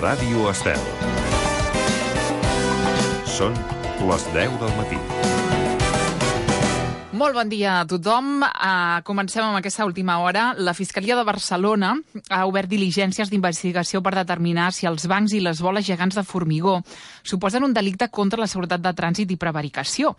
Ràdio Estel. Són les 10 del matí. Molt bon dia a tothom. Comencem amb aquesta última hora. La Fiscalia de Barcelona ha obert diligències d'investigació per determinar si els bancs i les boles gegants de formigó suposen un delicte contra la seguretat de trànsit i prevaricació.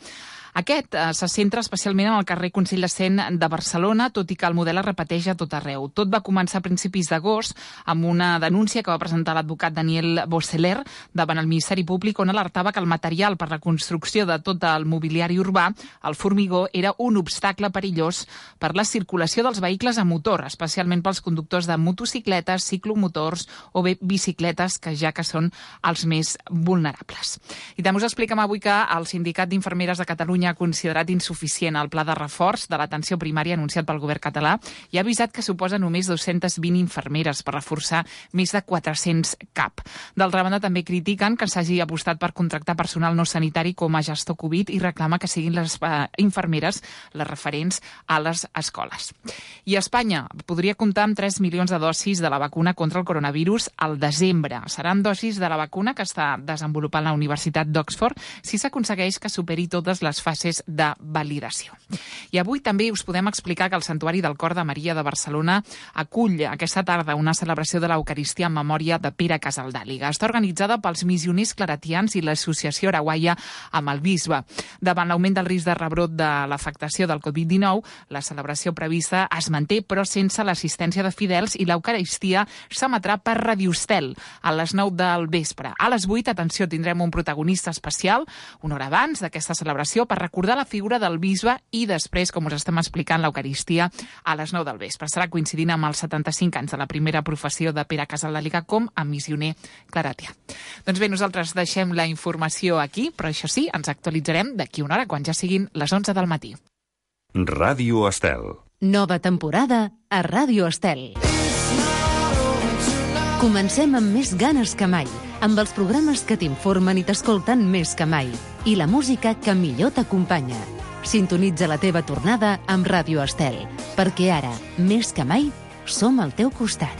Aquest se centra especialment en el carrer Consell de Cent de Barcelona, tot i que el model es repeteix a tot arreu. Tot va començar a principis d'agost amb una denúncia que va presentar l'advocat Daniel Boisseler davant el Ministeri Públic, on alertava que el material per la construcció de tot el mobiliari urbà, el formigó, era un obstacle perillós per la circulació dels vehicles a motor, especialment pels conductors de motocicletes, ciclomotors o bé bicicletes, que ja que són els més vulnerables. I també us expliquem avui que el Sindicat d'Infermeres de Catalunya ha considerat insuficient el pla de reforç de l'atenció primària anunciat pel govern català i ha avisat que suposa només 220 infermeres per reforçar més de 400 CAP. D'altra banda, també critiquen que s'hagi apostat per contractar personal no sanitari com a gestor Covid i reclama que siguin les infermeres les referents a les escoles. I Espanya podria comptar amb 3 milions de dosis de la vacuna contra el coronavirus al desembre. Seran dosis de la vacuna que està desenvolupant la Universitat d'Oxford si s'aconsegueix que superi totes les fases de validació. I avui també us podem explicar que el Santuari del Cor de Maria de Barcelona acull aquesta tarda una celebració de l'Eucaristia en memòria de Pere Casaldàliga. Està organitzada pels missioners claretians i l'Associació Araguaia amb el bisbe. Davant l'augment del risc de rebrot de l'afectació del Covid-19, la celebració prevista es manté, però sense l'assistència de fidels, i l'Eucaristia s'emetrà per Radio Estel a les 9 del vespre. A les 8, atenció, tindrem un protagonista especial, una hora abans d'aquesta celebració, per recordar la figura del bisbe i després, com us estem explicant, l'Eucaristia a les 9 del vespre. Estarà coincidint amb els 75 anys de la primera professió de Pere Casaldàliga com a missioner claretià. Doncs bé, nosaltres deixem la informació aquí, però això sí, ens actualitzarem d'aquí una hora, quan ja siguin les 11 del matí. Ràdio Estel. Nova temporada a Ràdio Estel. Comencem amb més ganes que mai, amb els programes que t'informen i t'escolten més que mai, i la música que millor t'acompanya. Sintonitza la teva tornada amb Ràdio Estel, perquè ara, més que mai, som al teu costat.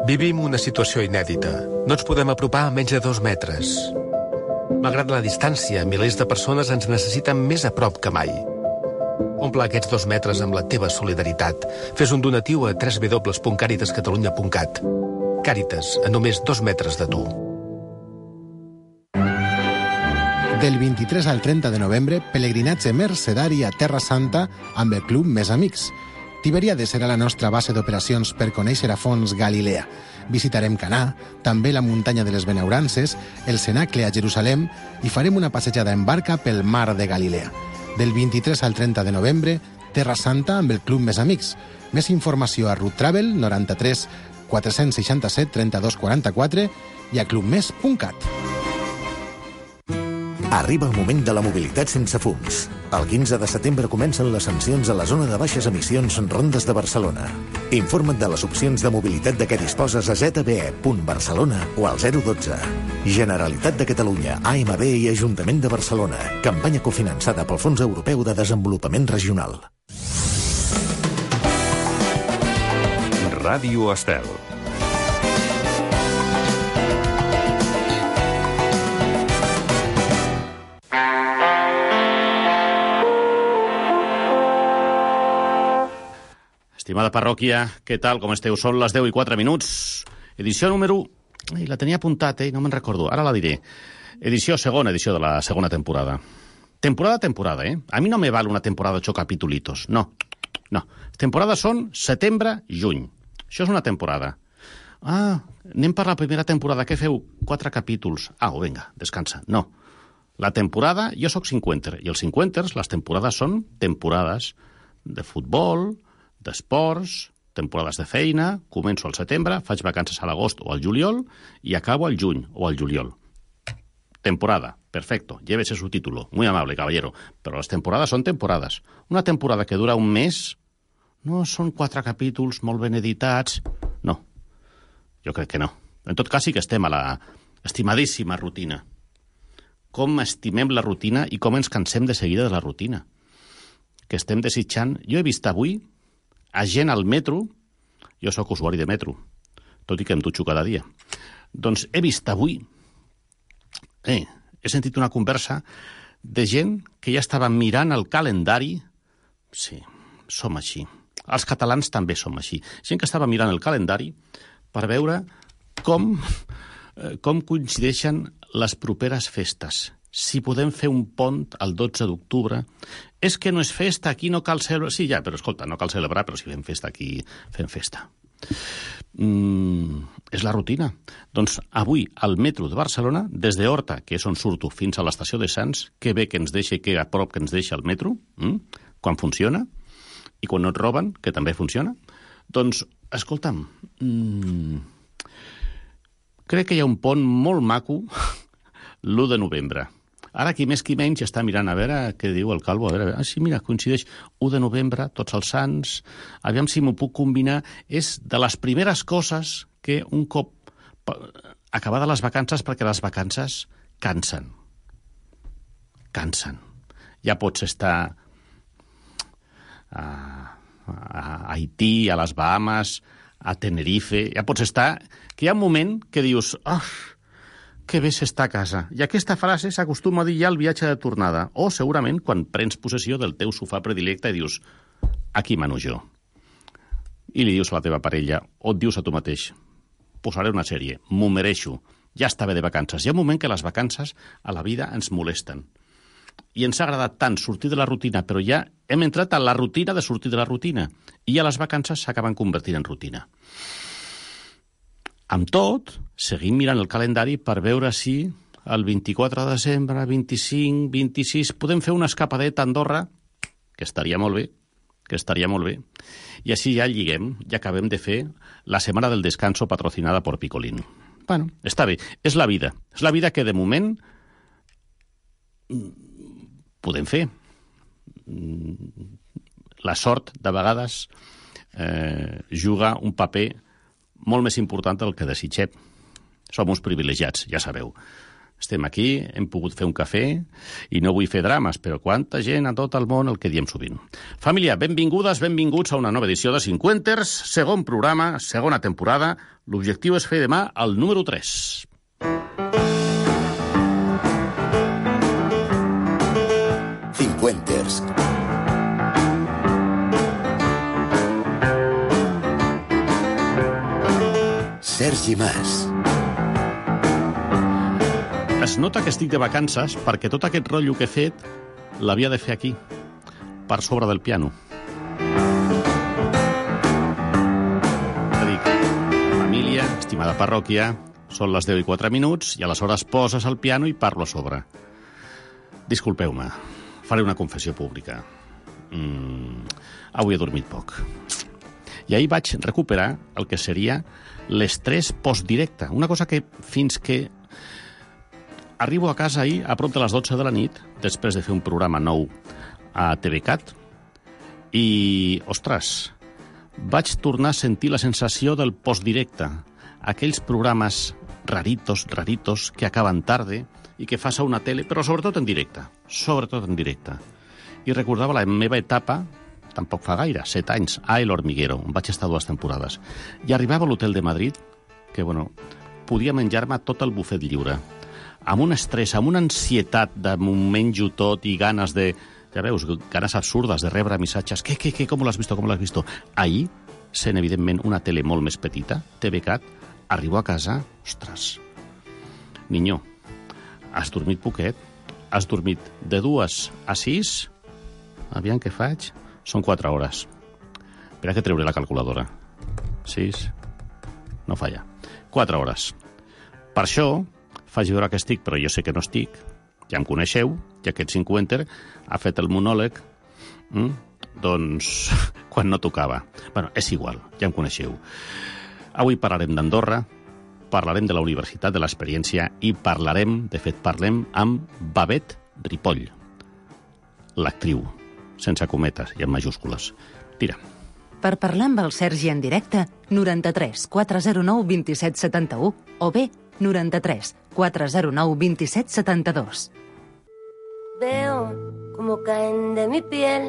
Vivim una situació inèdita. No ens podem apropar a menys de 2 metres. Malgrat la distància, milers de persones ens necessiten més a prop que mai. Omple aquests 2 metres amb la teva solidaritat. Fes un donatiu a www.caritascatalunya.cat. Càritas, a només 2 metres de tu. Del 23 al 30 de novembre, pelegrinatge mercedari a Terra Santa amb el Club Més Amics. Tiberiades serà la nostra base d'operacions per conèixer a fons Galilea. Visitarem Canà, també la muntanya de les Benaurances, el Cenacle a Jerusalem i farem una passejada en barca pel mar de Galilea. Del 23 al 30 de novembre, Terra Santa amb el Club Més Amics. Més informació a Route Travel 93 467 32 44 i a clubmes.cat. Arriba el moment de la mobilitat sense fums. El 15 de setembre comencen les sancions a la zona de baixes emissions Rondes de Barcelona. Informa't de les opcions de mobilitat de què disposes a zbe.barcelona o al 012. Generalitat de Catalunya, AMB i Ajuntament de Barcelona. Campanya cofinançada pel Fons Europeu de Desenvolupament Regional. Ràdio Estel. Estimada parròquia, què tal, com esteu? Són les 10 i 4 minuts. Edició número... la tenia apuntat, no me'n recordo. Ara la diré. Segona edició de la segona temporada. Temporada, A mi no me val una temporada de 8 capitulitos. No. Temporades són setembre, juny. Això és una temporada. Anem per la primera temporada. Què feu? 4 capítols. Vinga, descansa. No. La temporada, jo sóc cinquenter, i els cinquenters, les temporades són temporades de futbol, d'esports, temporades de feina, començo al setembre, faig vacances a l'agost o al juliol i acabo al juny o al juliol. Temporada, perfecto, llévese su título, muy amable, caballero, però les temporades són temporades. Una temporada que dura un mes no són 4 capítols molt ben editats. No, jo crec que no. En tot cas sí que estem a la estimadíssima rutina. Com estimem la rutina i com ens cansem de seguida de la rutina. Que estem desitjant... Jo he vist avui a gent al metro, jo sóc usuari de metro, tot i que em dutxo cada dia. Doncs he vist avui, he sentit una conversa de gent que ja estava mirant el calendari. Sí, som així. Els catalans també som així. Gent que estava mirant el calendari per veure com coincideixen les properes festes. Si podem fer un pont el 12 d'octubre. És que no és festa, aquí no cal celebrar. Sí, ja, però escolta, no cal celebrar, però si fem festa aquí, fem festa. És la rutina. Doncs avui al metro de Barcelona, des de Horta, que és on surto, fins a l'estació de Sants, que bé que ens deixa i que a prop que ens deixa el metro, quan funciona, i quan no et roben, que també funciona, doncs, escolta'm, crec que hi ha un pont molt maco l'1 de novembre. Ara, qui més qui menys, està mirant a veure què diu el Calvo. A veure, sí, mira, coincideix 1 de novembre, tots els sants. Aviam si m'ho puc combinar. És de les primeres coses que un cop acabades les vacances, perquè les vacances cansen. Cansen. Ja pots estar a Haití, a les Bahamas, a Tenerife. Ja pots estar... Que hi ha un moment que dius... que bé s'està a casa. I aquesta frase s'acostuma a dir ja al viatge de tornada, o segurament quan prens possessió del teu sofà predilecte i dius, aquí mano jo. I li dius a la teva parella, o et dius a tu mateix, posaré una sèrie, m'ho mereixo, ja està bé de vacances. Hi ha un moment que les vacances a la vida ens molesten. I ens ha agradat tant sortir de la rutina, però ja hem entrat a la rutina de sortir de la rutina. I ja les vacances s'acaben convertint en rutina. Amb tot, seguim mirant el calendari per veure si el 24 de desembre, 25, 26, podem fer una escapadeta a Andorra, que estaria molt bé, i així ja lliguem, ja acabem de fer la setmana del descanso patrocinada per Picolín. Bueno, està bé, és la vida que de moment podem fer. La sort, de vegades, juga un paper molt més important del que desitgem. Som uns privilegiats, ja sabeu. Estem aquí, hem pogut fer un cafè i no vull fer drames, però quanta gent a tot el món, el que diem sovint. Família, benvingudes, benvinguts a una nova edició de Cinquenters, segon programa, segona temporada. L'objectiu és fer demà el número 3. Cinquenters. Sergi Mas. Es nota que estic de vacances perquè tot aquest rotllo que he fet l'havia de fer aquí, per sobre del piano. Dic, família, estimada parròquia, són les 10 i 4 minuts i aleshores poses el piano i parlo a sobre. Disculpeu-me, faré una confessió pública. Avui he dormit poc. I ahir vaig recuperar el que seria l'estrès postdirecte. Una cosa que fins que arribo a casa ahir a prop de les 12 de la nit, després de fer un programa nou a TVCAT, i, ostres, vaig tornar a sentir la sensació del postdirecte. Aquells programes raritos, que acaben tarde i que fas a una tele, però sobretot en directe. I recordava la meva etapa, tampoc fa gaire, 7 anys, a El Hormiguero, on vaig estar 2 temporades. I arribava a l'hotel de Madrid, que, podia menjar-me tot el bufet lliure, amb un estrès, amb una ansietat de m'ho menjo tot i ganes de... Ja veus, ganes absurdes de rebre missatges. Què, com l'has visto? Ahir, sent evidentment una tele molt més petita, TVCAT, arribo a casa, ostres, niño, has dormit poquet? Has dormit de 2 a 6? Aviam què faig? Són 4 hores. Espera que treuré la calculadora. 6... No falla. 4 hores. Per això, faig veure que estic, però jo sé que no estic. Ja em coneixeu, i aquest cinquenter ha fet el monòleg, doncs, quan no tocava. És igual, ja em coneixeu. Avui parlarem d'Andorra, parlarem de la Universitat de l'Experiència i parlarem amb Babette Ripoll, l'actriu, sense cometes i en majúscules. Tira. Per parlar amb el Sergi en directe, 93 409 27 71 o bé 93 409 27 72. Veo como caen de mi piel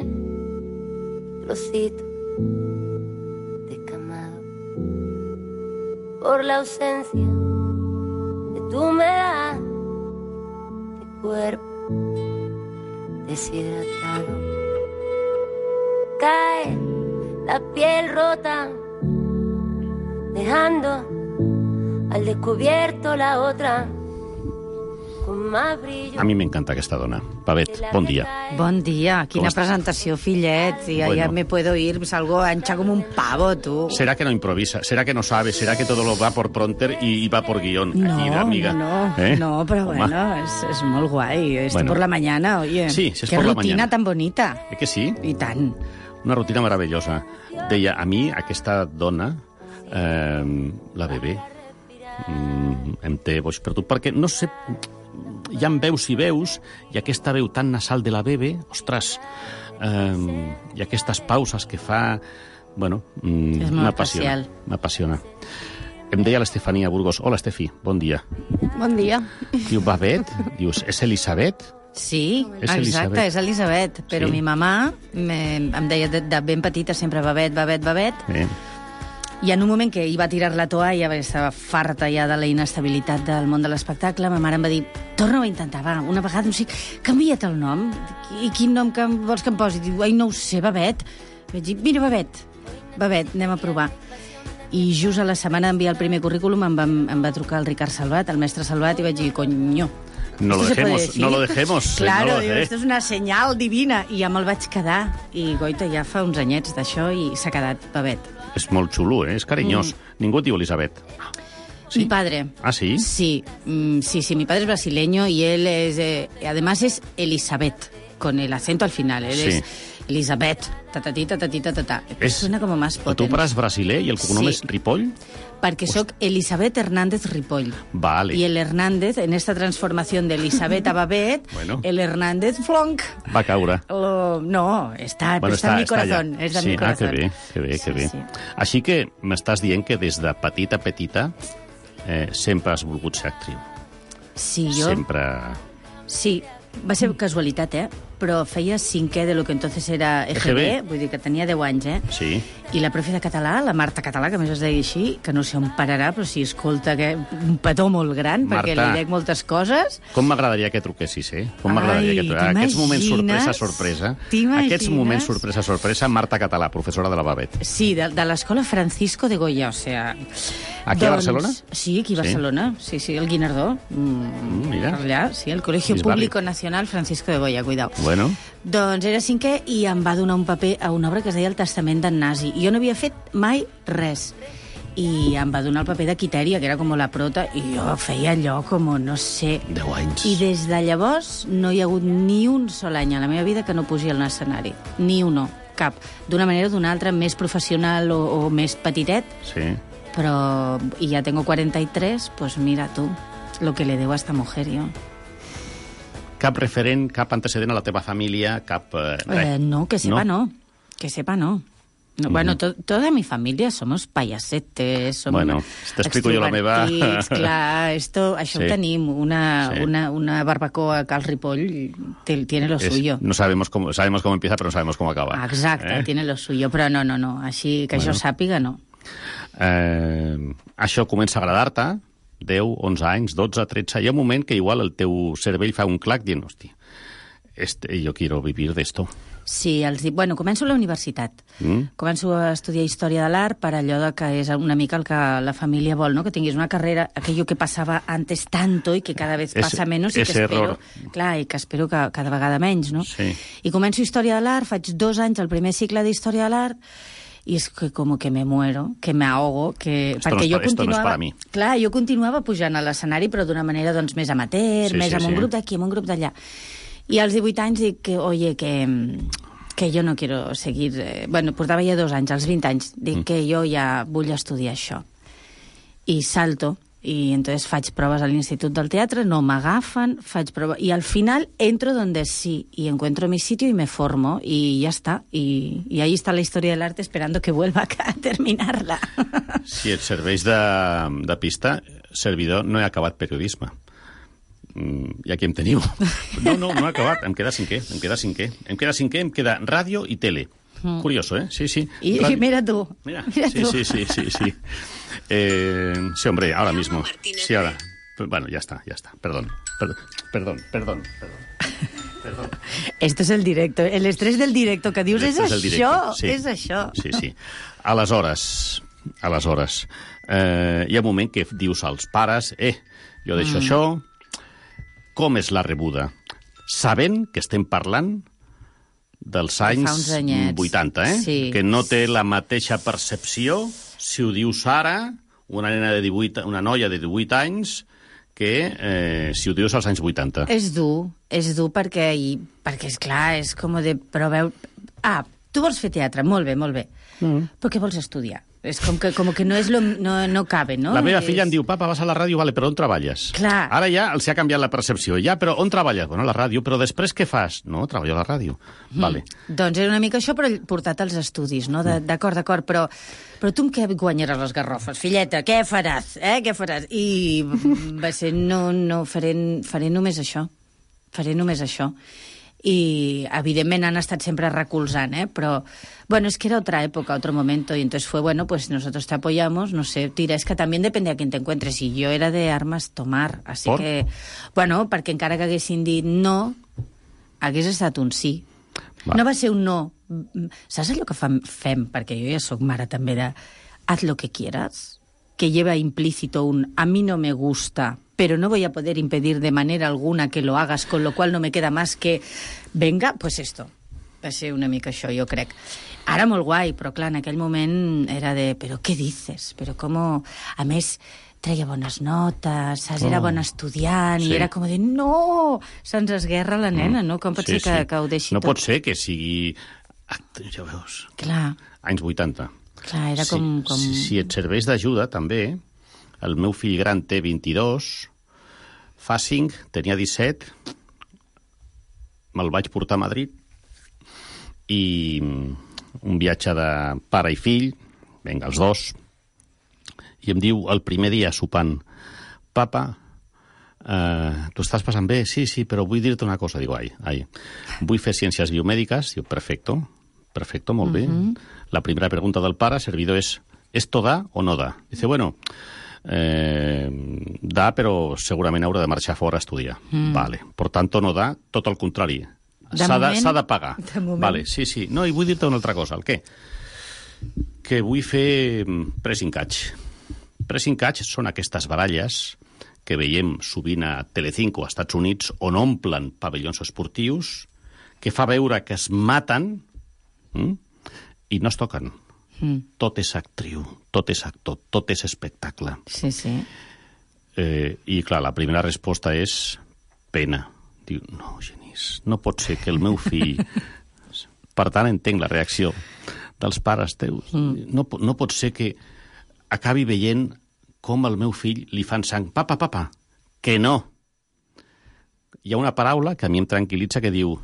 trocitos de camado por la ausencia de tu humedad, de cuerpo deshidratado. Cae la piel rota, dejando al descubierto la otra. A mi m'encanta aquesta dona. Pavet, bon dia. Bon dia. Quina presentació, fillet. Ya me puedo ir, salgo ancha como un pavo, tú. ¿Será que no improvisa? ¿Será que no sabe? ¿Será que todo lo va por pronter y va por guión? Aquí, amiga. No, pero bueno, es muy guay. Esto por la mañana, oye. Sí, es qué por la rutina mañana. tan bonita. Que sí? I tant. Una rutina meravellosa. Deia, a mi aquesta dona, la bebè, em té boig per tu, perquè no sé... Hi ha veus i veus, i aquesta veu tan nasal de la bebè, ostres, i aquestes pauses que fa... Bueno, m'apassiona. Em deia l'Estefania Burgos. Hola, Estefi, bon dia. Bon dia. Diu, Babet, dius, és Elisabet? Sí, exacte, és Elisabet. Però mi mamà em deia de ben petita sempre Babet. I en un moment que hi va tirar la toalla, perquè estava farta ja de la inestabilitat del món de l'espectacle, ma mare em va dir, torna-ho a intentar, va, una vegada, no sé, canvia't el nom. I quin nom vols que em posi? Diu, ai, no ho sé, Babet. Vaig dir, mira, Babet, anem a provar. I just a la setmana d'enviar el primer currículum em va trucar el Ricard Salvat, el mestre Salvat, i vaig dir, coño, no lo dejemos. Claro, diu, esto és una senyal divina. I ja me'l vaig quedar. I, goita, ja fa uns anyets d'això i s'ha quedat Babet. És molt xulo, és carinyós. Ningú et diu Elisabet. ¿Sí? Mi padre. ¿Ah, sí? Sí, mi padre es brasileño y él es... además es Elisabet, con el acento al final. Él es Elisabet, ta. Suena como más potente. Tu pare és brasiler i el cognom és Ripoll? Perquè soc Elisabet Hernández Ripoll. Vale. Y el Hernández, en esta transformación de Elisabet a Babet, bueno, el Hernández Flonc... Va caure. No, està en mi corazón. És de mi corazón. Que bé. Sí. Així que m'estàs dient que des de petita sempre has volgut ser actriu. Sí, jo... Sempre... Sí, va ser casualitat, però feia cinquè de lo que entonces era EGB, vull dir que tenia 10 anys, Sí. I la profe de català, la Marta Català, que a més es deia així, que no sé on pararà, però si escolta que un petó molt gran, Marta, perquè li dec moltes coses. Com m'agradaria que truquessis, Com m'agradaria que truquessis. Aquests moments sorpresa. Aquests moments sorpresa, Marta Català, professora de la Babet. Sí, de l'escola Francisco de Goya, o sea... Aquí a Barcelona? Sí, aquí a Barcelona, sí, el Guinardó. Mira. Allà, sí, el Colegio Público Nacional Francisco de Goya, cuidao. Bueno. Doncs era cinquè i em va donar un paper a una obra que es deia El testament d'en Nasi. Jo no havia fet mai res. I em va donar el paper de Quitèria, que era com la prota, i jo feia allò com, no sé... 10 anys. I des de llavors no hi ha hagut ni un sol any a la meva vida que no pugi al escenari. Ni un, cap. D'una manera o d'una altra, més professional o més petitet. Sí. Però, y ya tengo 43, pues mira tú, lo que le debo a esta mujer, yo. Cap referent, cap antecedent a la teva família, cap... No, que sepa no. Que sepa no. Bueno, toda mi familia somos payasetes, som t'explico jo la meva... Clar, això ho tenim. Una barbacoa a Cal Ripoll tiene lo suyo. No sabemos cómo empieza, pero no sabemos cómo acaba. Exacte, tiene lo suyo, però no. Així que jo sàpiga, no. Això comença a agradar-te, 10, 11 anys, 12, 13... Hi ha un moment que igual el teu cervell fa un clac dient, hòstia, yo quiero vivir d'esto. Sí, començo a la universitat. Començo a estudiar Història de l'Art per allò que és una mica el que la família vol, no? Que tinguis una carrera, aquello que passava antes tanto i que cada vez passa menos i que espero, clar, i que espero que cada vegada menys, no? Sí. I començo Història de l'Art, faig 2 anys el primer cicle d'Història de l'Art i és que com que me muero, que me ahogo, que... Esto no es para mí. Clar, jo continuava pujant a l'escenari, però d'una manera doncs, més amateur, més amb un grup d'aquí, amb un grup d'allà. I als 18 anys dic que, oye, que jo no quiero seguir... portava ja 2 anys, als 20 anys, dic que jo ja vull estudiar això. I salto, y entonces faig proves a l'Institut del Teatre, no m'agafen, faig proves... I al final entro donde sí, y encuentro mi sitio y me formo, y ya está. Y ahí está la historia del arte esperando que vuelva a terminarla. Si et serveix de pista, servidor, no he acabat periodisme. I aquí em teniu. No he acabat, em queda cinquè. Em queda ràdio i tele. Curioso, Sí, sí. Y mira tú. Mira tú. Sí. Sí, hombre, ahora mismo. Sí, ahora. Bueno, ya está. Perdón. Esto es el directo. El estrès del directo que dius és això. Sí. És això. Sí. Aleshores, hi ha un moment que dius als pares, jo deixo això, com és la rebuda? Sabent que estem parlant dels anys 80, Sí. Que no té la mateixa percepció si ho dius ara, una noia de 18 anys, que si ho dius als anys 80. És dur perquè és clar, és com de... Però veu... tu vols fer teatre, molt bé. Però què vols estudiar? És com que no és no cabe, no? La meva filla em diu, papa, vas a la ràdio, vale, però on treballes? Clar. Ara ja els ha canviat la percepció. Ja, però on treballes? Bueno, a la ràdio, però després què fas? No, treballo a la ràdio. Vale. Doncs era una mica això, però portat als estudis, no? D'acord, però tu amb què guanyaràs les garrofes, filleta? Què faràs? Què faràs? I va ser, no, faré només això. Y evidentemente han estado siempre recolzant, pero bueno, es que era otra época, otro momento, y entonces fue, bueno, pues nosotros te apoyamos, no sé, tira, es que también depende a quién te encuentres, y yo era de armes tomar, así ¿Por? Que, bueno, perquè encara que haguessin dit no, hagués estat un sí. No va ser un no. Saps allò que fem, perquè jo ja sóc mare també de haz lo que quieras, que lleva implícito un a mí no me gusta, pero no voy a poder impedir de manera alguna que lo hagas, con lo cual no me queda más que venga, pues esto. Va ser una mica això, jo crec. Ara molt guai, però clar, en aquell moment era de, però què dices? Però com... A més, treia bones notes, saps? Era bona estudiant, i era com de, no! Se'ns esguerra la nena, no? Com pot ser que ho deixi tot? No pot ser que sigui... Ja veus. Clar. Anys 80. Clar, era com... Si et serveix d'ajuda, també, el meu fill gran té 22, fa 5, tenia 17, me'l vaig portar a Madrid, i un viatge de pare i fill, vinga, els dos, i em diu el primer dia sopant, papa, tu estàs passant bé? Sí, però vull dir-te una cosa. Digo, vull fer ciències biomèdiques. Diu, perfecto, molt bé. La primera pregunta del pare, servidor, és ¿esto da o no da? Dice, bueno, da, però segurament haurà de marxar fora a estudiar. Vale. Por tanto, no da, tot el contrari. S'ha de pagar. Vale, sí. No, i vull dir-te una altra cosa. El què? Que vull fer pressing catch. Pressing catch són aquestes baralles que veiem sovint a Telecinco, als Estats Units, on omplen pavellons esportius, que fa veure que es maten i no es toquen. Tot és actriu, tot és actor, tot és espectacle. Sí. I, clar, la primera resposta és pena. Diu, no, Genís, no pot ser que el meu fill... Per tant, entenc la reacció dels pares teus. No pot ser que acabi veient com al meu fill li fan sang. Papa, que no. Hi ha una paraula que a mi em tranquil·litza que diu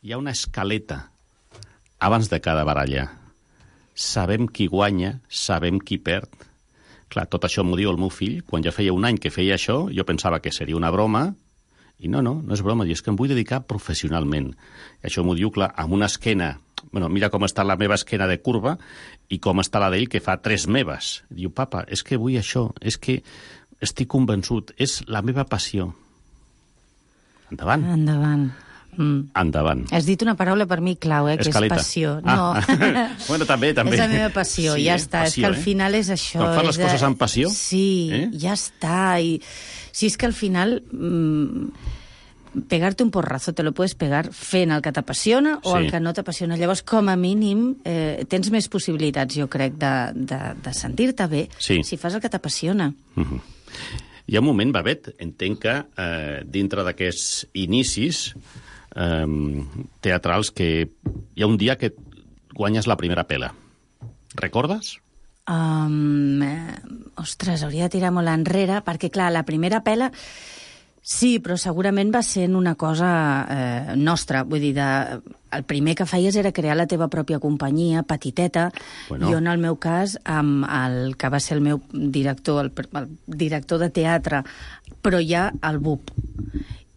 hi ha una escaleta abans de cada baralla. Sabem qui guanya, sabem qui perd. Clar, tot això m'ho diu el meu fill. Quan ja feia un any que feia això, jo pensava que seria una broma, i no és broma, és que em vull dedicar professionalment. I això m'ho diu, clar, amb una esquena... Bueno, mira com està la meva esquena de curva i com està la d'ell, que fa 3 meves. Diu, papa, és que vull això, és que estic convençut, és la meva passió. Endavant. Endavant. Has dit una paraula per mi clau, que Escaleta. És passió. No. Bueno, també. És la meva passió, ja està. Passió, és que al final és això. Quan fas les coses amb passió... Sí, ja està. I si és que al final... pegarte un porrazo te lo puedes pegar fent el que t'apassiona o el que no t'apassiona. Llavors, com a mínim, tens més possibilitats, jo crec, de sentir-te bé si fas el que t'apassiona. Hi ha un moment, Babet, entenc que dintre d'aquests inicis teatrals que hi ha un dia que guanyes la primera pela. Recordes? Ostres, hauria de tirar molt enrere, perquè, clar, la primera pela... Sí, però segurament va sent una cosa nostra. Vull dir, el primer que feies era crear la teva pròpia companyia, petiteta. Jo, en el meu cas, amb el que va ser el meu director, el director de teatre, però ja el BUP.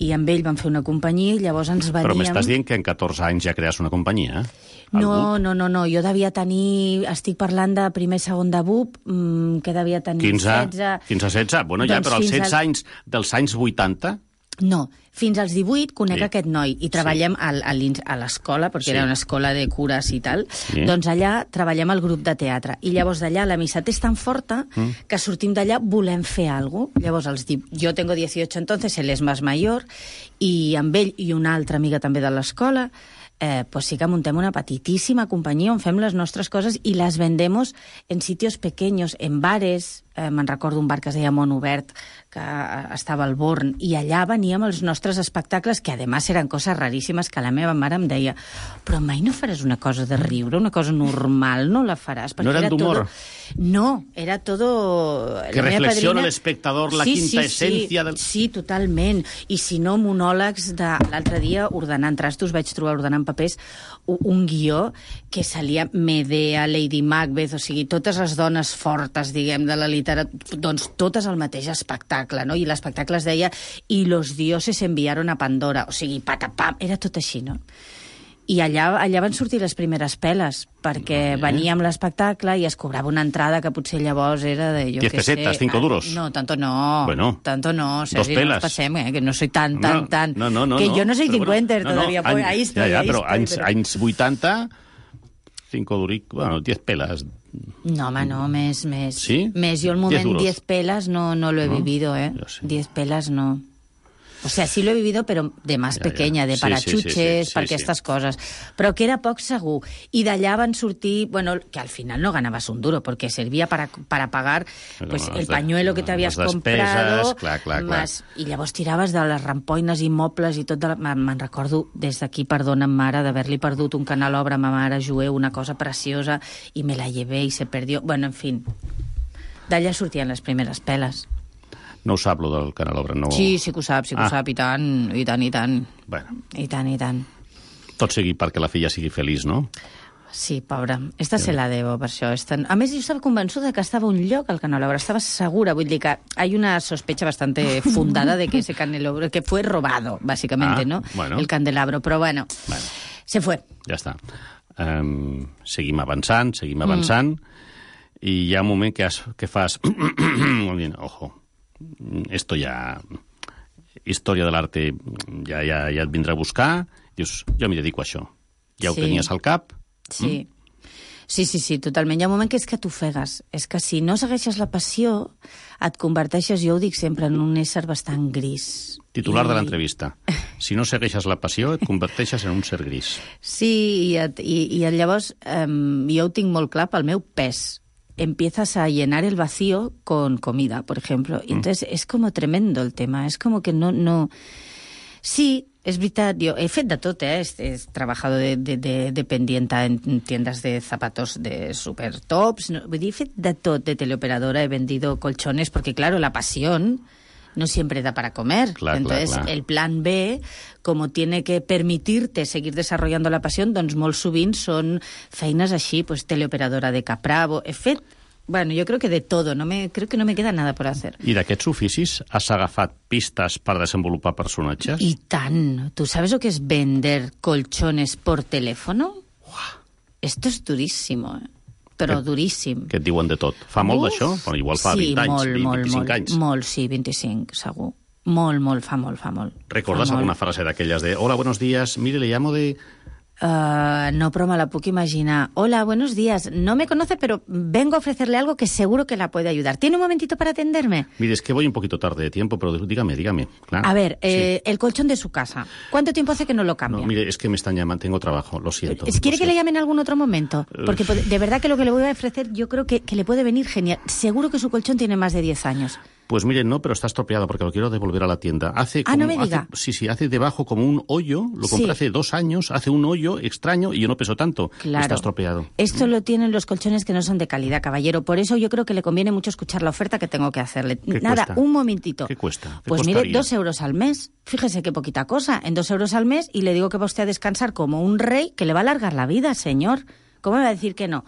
i amb ell vam fer una companyia i llavors ens veníem... Però m'estàs dient que en 14 anys ja crees una companyia, No, jo devia tenir... Estic parlant de primer, segon de BUP, que devia tenir 16... 15-16, bueno, ja, però als 16 anys dels anys 80... No, fins als 18 conec aquest noi i treballem a l'escola, perquè era una escola de cures i tal, doncs allà treballem al grup de teatre. I llavors d'allà l'amistat és tan forta que sortim d'allà, volem fer alguna cosa. Llavors, jo tengo 18 entonces, él es más mayor, i amb ell i una altra amiga també de l'escola, pues sí que muntem una petitíssima companyia on fem les nostres coses i les vendemos en sitios pequeños, en bares. Me'n recordo un bar que es deia Món Obert, que estava al Born, i allà veníem els nostres espectacles, que además eren coses raríssimes, que la meva mare em deia, però mai no faràs una cosa de riure, una cosa normal, no la faràs? No eren d'humor? No, era todo... Que reflexiona l'espectador la quinta essència del... Sí, totalment. I si no, monòlegs de... L'altre dia, ordenant trastos, vaig trobar ordenant papers un guió que salia Medea, Lady Macbeth, o sigui, totes les dones fortes, diguem, de la literatura, doncs totes al mateix espectacle, no? I l'espectacle es deia «Y los dioses enviaron a Pandora», o sigui, patapam, era tot així, no? I allà van sortir les primeres peles, perquè veníem l'espectacle i es cobrava una entrada que potser llavors era de... 10 pesetas, 5 duros. No, tanto no. Bueno, tanto no. Dos pelas. No nos pasem, que no soy tan... No, que jo no soy cincuenter todavía. Bueno, ahí estoy, ja, però anys 80, 5 duric, bueno, 10 pelas. No, home, no, més. ¿Sí? Més, jo el moment 10 pelas no lo he vivido, 10 pelas no. O sea, sí lo he vivido, pero de más pequeña, de parachuches, per aquestes coses. Però que era poc segur. I d'allà van sortir, bueno, que al final no ganabas un duro, porque servía para pagar pues, el pañuelo que t'havies comprado. Clar. I llavors tiraves de les rampoines i mobles i tot. Me'n recordo, des d'aquí, perdona'm, mare, d'haver-li perdut un canelobre a ma mare jueu, una cosa preciosa, i me la llevé i se perdió. Bueno, en fin, d'allà sortien les primeres peles. No ho sap, lo del canelobre, no... Sí que ho sap, i tant. Bueno. I tant. Tot sigui perquè la filla sigui feliç, no? Sí, pobra. Esta se la debo, per això. A més, jo estava convençuda que estava a un lloc al canelobre. Estava segura, vull dir que hay una sospecha bastante fundada de que ese canelobre, que fue robado, bàsicamente, ¿no? Bueno. El candelabro, però bueno, se fue. Ja està. Seguim avançant, i hi ha un moment que fas... Ojo. Esto ya... Història de l'arte ja et vindrà a buscar. Dius, jo m'hi dedico a això. Ja ho tenies al cap. Sí. Sí, totalment. Hi ha un moment que és que t'ofegues. És que si no segueixes la passió, et converteixes, jo ho dic sempre, en un ésser bastant gris. Titular de l'entrevista. Si no segueixes la passió, et converteixes en un ser gris. Sí, i llavors jo ho tinc molt clar pel meu pes. Empiezas a llenar el vacío con comida, por ejemplo. Y entonces es como tremendo el tema. Es como que no... Sí, es veritat, jo he fet de tot, He trabajado de dependienta en tiendas de zapatos de super tops. Vull dir, he fet de tot, de teleoperadora, he vendido colchones, porque claro, la pasión no siempre da para comer. Entonces, el plan B, como tiene que permitirte seguir desarrollando la pasión, doncs molt sovint són feines així, pues teleoperadora de Capravo. He fet, bueno, yo creo que de todo, creo que no me queda nada por hacer. I d'aquests oficis has agafat pistes per desenvolupar personatges? I tant. ¿Tú sabes lo que es vender colchones por teléfono? Esto es durísimo, però duríssim. Que et diuen de tot. Fa molt d'això? Bueno, igual fa 20 anys, 25 anys. Molt, sí, 25, segur. Molt, fa molt. ¿Recordas alguna frase d'aquelles de hola, buenos días, mire, le llamo de... No, però me la puc imaginar. Hola, buenos días. No me conoce, pero vengo a ofrecerle algo que seguro que la puede ayudar. ¿Tiene un momentito para atenderme? Mire, es que voy un poquito tarde de tiempo, pero dígame. Claro. A ver, el colchón de su casa. ¿Cuánto tiempo hace que no lo cambia? No, mire, es que me están llamando, tengo trabajo, lo siento. ¿Quiere que le llame en algún otro momento? Porque de verdad que lo que le voy a ofrecer yo creo que le puede venir genial. Seguro que su colchón tiene más de 10 años. Pues miren, no, pero está estropeado porque lo quiero devolver a la tienda. No me diga. Hace debajo como un hoyo, lo compré hace 2 años, hace un hoyo extraño y yo no peso tanto. Claro. Está estropeado. Esto lo tienen los colchones que no son de calidad, caballero. Por eso yo creo que le conviene mucho escuchar la oferta que tengo que hacerle. Nada, un momentito. ¿Qué cuesta? Pues mire, 2 euros al mes. Fíjese qué poquita cosa. En 2 euros al mes y le digo que va usted a descansar como un rey que le va a alargar la vida, señor. ¿Cómo me va a decir que no?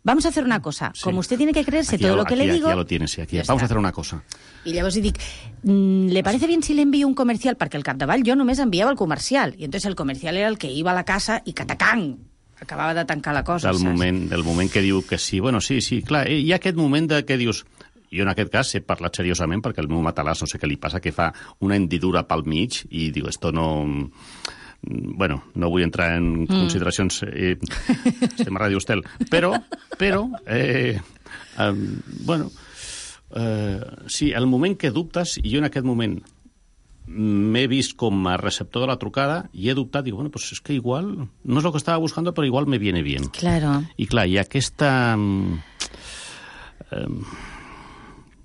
vamos a hacer una cosa. Sí. Como usted tiene que creerse todo lo que le digo... Aquí ya lo tienes, sí, aquí. Vamos a hacer una cosa. I llavors li dic, ¿le parece bien si le envío un comercial? Perquè al capdavall jo només enviava el comercial. I entonces el comercial era el que iba a la casa i catacang! Acabava de tancar la cosa, del moment que diu que sí. Bueno, sí, clar. Hi ha aquest moment que dius... Jo en aquest cas he parlat seriosament perquè el meu matalàs no sé què li passa, que fa una hendidura pel mig i diu, esto no... Bueno, no vull entrar en consideracions... estem a Ràdio Estel. Però sí, el moment que dubtes, i jo en aquest moment m'he vist com a receptor de la trucada i he dubtat, dic, bueno, pues és que igual no és el que estava buscando, però igual me viene bien. Claro. I clar, hi ha aquesta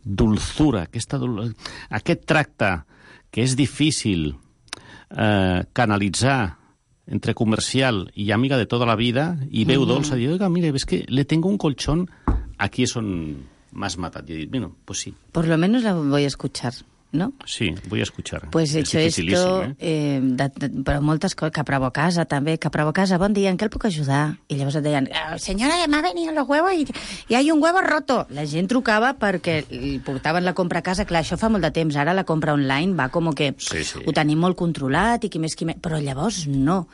dulzura, aquest tracte que és difícil canalitzar entre comercial y amiga de toda la vida y veu dolça, diu, oiga, mire, ves que le tengo un colchón, aquí és on m'has matat. I dic, bueno, pues sí. Por lo menos la voy a escuchar, ¿no? Sí, voy a escuchar. Pues hecho esto, però moltes coses, Capravo Casa també, Capravo Casa, bon dia, en què el puc ajudar? I llavors et deien, senyora, m'ha venido los huevos y hay un huevo roto. La gent trucava perquè li portaven la compra a casa, clar, això fa molt de temps, ara la compra online va com que ho tenim molt controlat i qui més, però llavors no.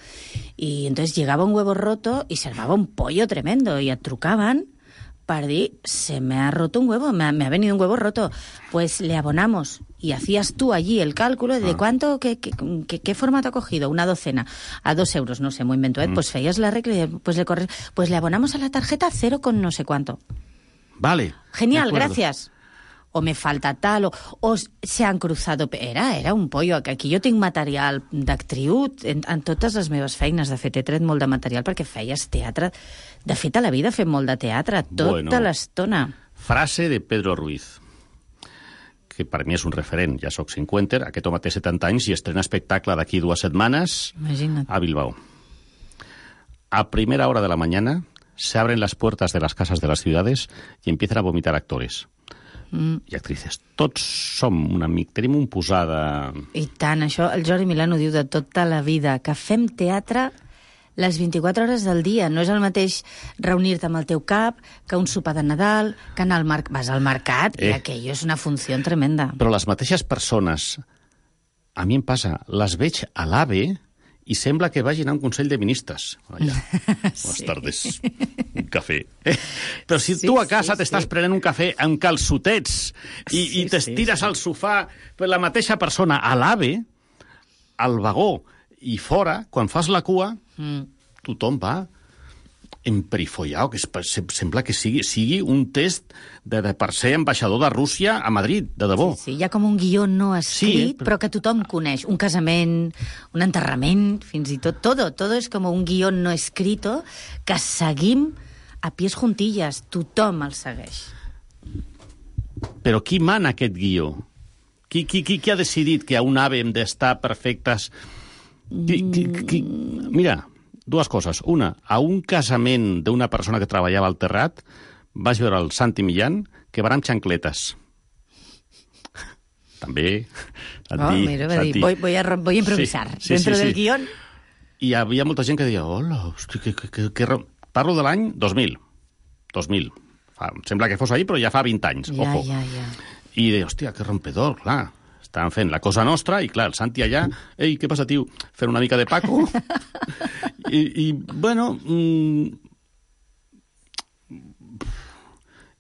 I entonces llegava un huevo roto y se armava un pollo tremendo i et trucaven para decir, se me ha roto un huevo, me ha venido un huevo roto, pues le abonamos. Y hacías tú allí el cálculo de cuánto, qué formato ha cogido, una docena, a 2 euros, no sé, muy invento, pues feías la regla y pues le abonamos a la tarjeta 0 con no sé cuánto. Vale. Genial, gracias. O me falta tal, o se han cruzado... Era un pollo. Aquí jo tinc material d'actriu en totes les meves feines. De fet, he tret molt de material perquè feies teatre. De fet, a la vida fem molt de teatre, tota l'estona. Frase de Pedro Ruiz, que per mi és un referent. Ja soc 50, aquest home té 70 anys i estrena espectacle d'aquí 2 setmanes a Bilbao. A primera hora de la mañana se abren las puertas de las casas de las ciudades y empiezan a vomitar actores. I actrices. Tots som un amic, tenim un posada... I tant, això el Jordi Milano diu de tota la vida, que fem teatre les 24 hores del dia. No és el mateix reunir-te amb el teu cap que un sopar de Nadal, que anar vas al mercat, i aquello és una funció tremenda. Però les mateixes persones, a mi em passa, les veig a l'AVE i sembla que vagin a un Consell de Ministres. Allà. Buenas tardes. Un cafè. Però si tu a casa t'estàs prenent un cafè amb calçotets i t'estires al sofà per la mateixa persona a l'AVE, al vagó i fora, quan fas la cua, tothom va emperifollado, que sembla que sigui un test per ser ambaixador de Rússia a Madrid, de debò. Sí, hi ha com un guió no escrit, però que tothom coneix. Un casament, un enterrament, fins i tot. Todo és com un guió no escrito que seguim a pies juntillas. Tothom el segueix. Però qui mana aquest guió? Qui ha decidit que a un AVE hem d'estar perfectes? Mira, 2 coses. Una, a un casament d'una persona que treballava al terrat vaig veure el Santi Millán que van amb xancletes. També, Santi. Mira, va dir, voy a improvisar. Dentro del guión. I hi havia molta gent que deia, hola, hosti, que... Parlo de l'any 2000. Sembla que fos ahir, però ja fa 20 anys. Ojo. I deia, hòstia, que rompedor, clar. Estaven fent la cosa nostra i, clar, el Santi allà, ei, què passa, tio? Fent una mica de Paco. I bueno...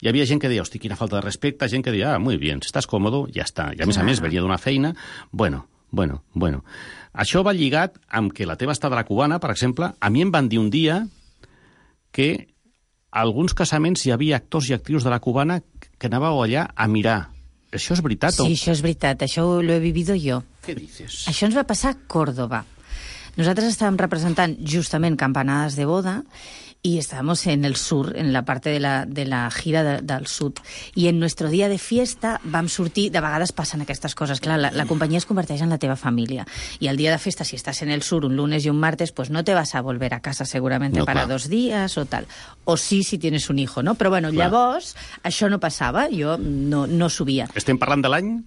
Hi havia gent que deia, hosti, quina falta de respecte, gent que deia, muy bien, si estàs còmodo, ja està. I a més, venia d'una feina. Bueno. Això va lligat amb que la teva estada a la cubana, per exemple, a mi em van dir un dia que a alguns casaments hi havia actors i actrius de la cubana que anàveu allà a mirar. Això és veritat? Sí, això és veritat. Això lo he vivido jo. Què dices? Això ens va passar a Córdoba. Nosaltres estàvem representant justament Campanadas de Boda y estábamos en el sur, en la parte de la gira del sud. I en nuestro dia de fiesta vam sortir... De vegades passen aquestes coses. Clar, la companyia es converteix en la teva família. I el dia de festa, si estàs en el sur un lunes i un martes, pues no te vas a volver a casa seguramente no, para 2 días o tal. O sí, si tienes un hijo, no? Però bueno, llavors, això no passava. Jo no subia. Estem parlant de l'any?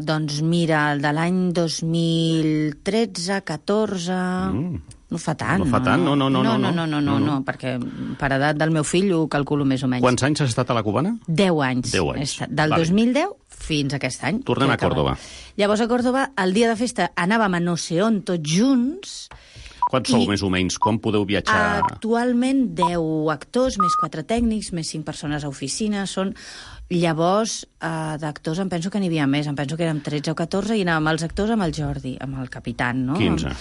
Doncs mira, el de l'any 2013, 14... No fa tant. No fa tant? No, perquè per edat del meu fill ho calculo més o menys. Quants anys has estat a la Cubana? 10 anys. 10 anys. Del 2010 fins a aquest any. Tornem a Còrdova. Llavors a Còrdova, el dia de festa, anàvem a no sé on tots junts. Quants sou, més o menys? Com podeu viatjar? Actualment 10 actors, més 4 tècnics, més 5 persones a oficina. Llavors, d'actors em penso que n'hi havia més. Em penso que érem 13 o 14 i anàvem els actors amb el Jordi, amb el capitán, no? 15.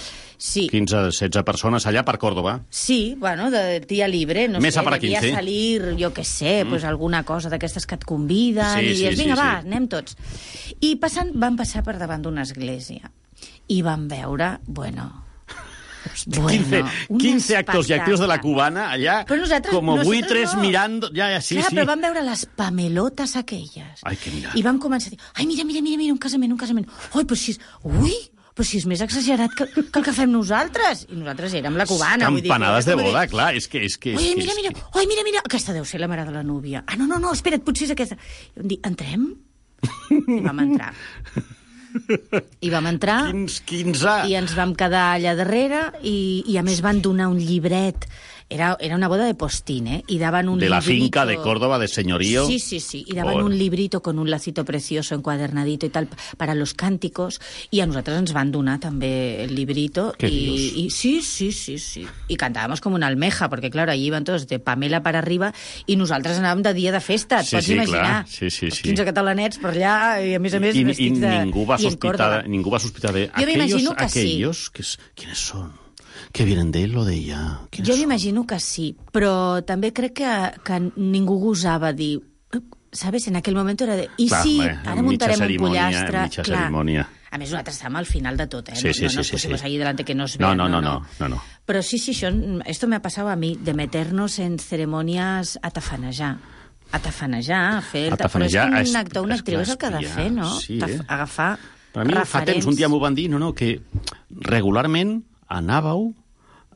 Sí. 15-16 persones allà per Còrdova. Sí, bueno, de dia libre, no Més sé, para devia 15. salir, jo què sé, pues alguna cosa d'aquestes que et conviden, i dius, vinga, va, anem tots. I vam passar per davant d'una església i vam veure, bueno, 15 actors i actrius de la Cubana allà, como buitres mirando... Sí. Però vam veure les pamelotes aquelles. Ai, que mirar. I vam començar a dir, ai, mira, un casament. Ai, però si és més exagerat que el que fem nosaltres. I nosaltres érem la Cubana. Campanades de boda, clar, és que... Ai, mira, aquesta deu ser la mare de la núvia. Ah, no, espera't, potser és aquesta. I vam dir, entrem? I vam entrar. Quins i ens vam quedar allà darrere i a més van donar un llibret. Era una boda de postín, y daban un librito... De la finca de Córdoba, de señorío. Sí, y daban un librito con un lacito precioso encuadernadito y tal para los cánticos, y a nosaltres ens van donar també el librito. Y sí. Y cantábamos como una almeja, porque claro, allí iban todos de Pamela para arriba i nosaltres anàvem de dia de festa, et pots imaginar. Sí. 15 catalanets per allà, i a més vestits de... I ningú va sospitar de... Jo m'imagino que aquellos, ¿quiénes son? Que vienen de él o de ella? Jo m'imagino que sí, però també crec que ningú gosava dir... ¿Sabes? En aquell moment era de... Ara muntarem un pollastre... Mitja cerimònia. A més, nosaltres estàvem al final de tot, Sí. No nos pusimos ahí delante que nos vean. No. Però sí, esto me ha pasado a mí, de meternos en ceremonias a tafanejar. Però és que un actor, una actriu és el que ha de fer, no? Sí, agafar per mi fa temps, un dia m'ho van dir, que regularment anàveu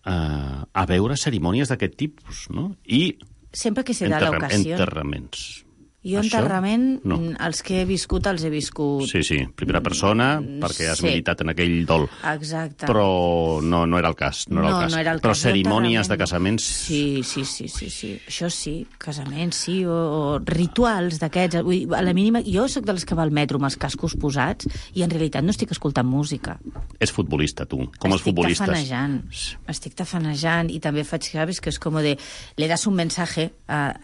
a veure cerimònies d'aquest tipus, no? I sempre que se da l'ocasió. Enterraments. Jo enterrament, els que he viscut, els he viscut... Sí, primera persona, perquè has militat en aquell dol. Exacte. Però no era el cas. No era el cas. Però cerimònies de casaments... Sí. Això sí, casaments, sí, o rituals d'aquests. A la mínima, jo sóc dels que va al metro amb els cascos posats i en realitat no estic escoltant música. És futbolista, tu, com els futbolistes. Estic tafanejant i també faig, sabes, que és com de... Le das un mensaje,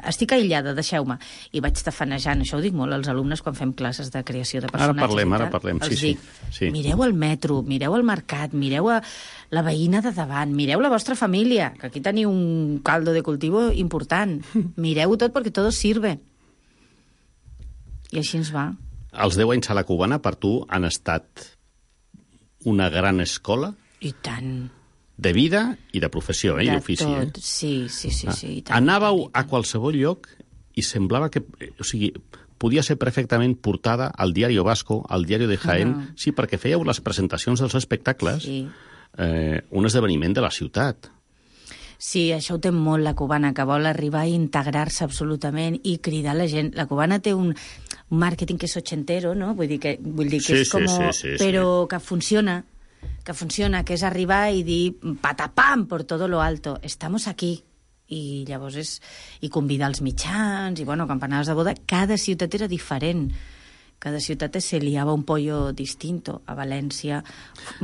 estic aïllada, deixeu-me, i vaig tafanejant. Això ho dic molt als alumnes quan fem classes de creació de personatges. Ara parlem. Els dic, mireu el metro, mireu el mercat, mireu la veïna de davant, mireu la vostra família, que aquí teniu un caldo de cultivo important. Mireu-ho tot perquè tot sirve. I així ens va. Els 10 anys a la Cubana, per tu, han estat una gran escola? I tant. De vida i de professió, i d'ofici. De tot, sí, i tant. Anàveu a qualsevol lloc i semblava que... O sigui, podia ser perfectament portada al Diario Vasco, al Diario de Jaén, sí, perquè fèieu les presentacions dels espectacles, un esdeveniment de la ciutat. Sí, això ho té molt la Cubana, que vol arribar a integrar-se absolutament i cridar la gent. La Cubana té un màrqueting que és ochentero, no? Vull dir que és com... Però que funciona, que és arribar i dir patapam por todo lo alto, estamos aquí. I llavors convidar els mitjans, i campanades de boda. Cada ciutat era diferent. Cada ciutat se liava un pollo distinto. A València,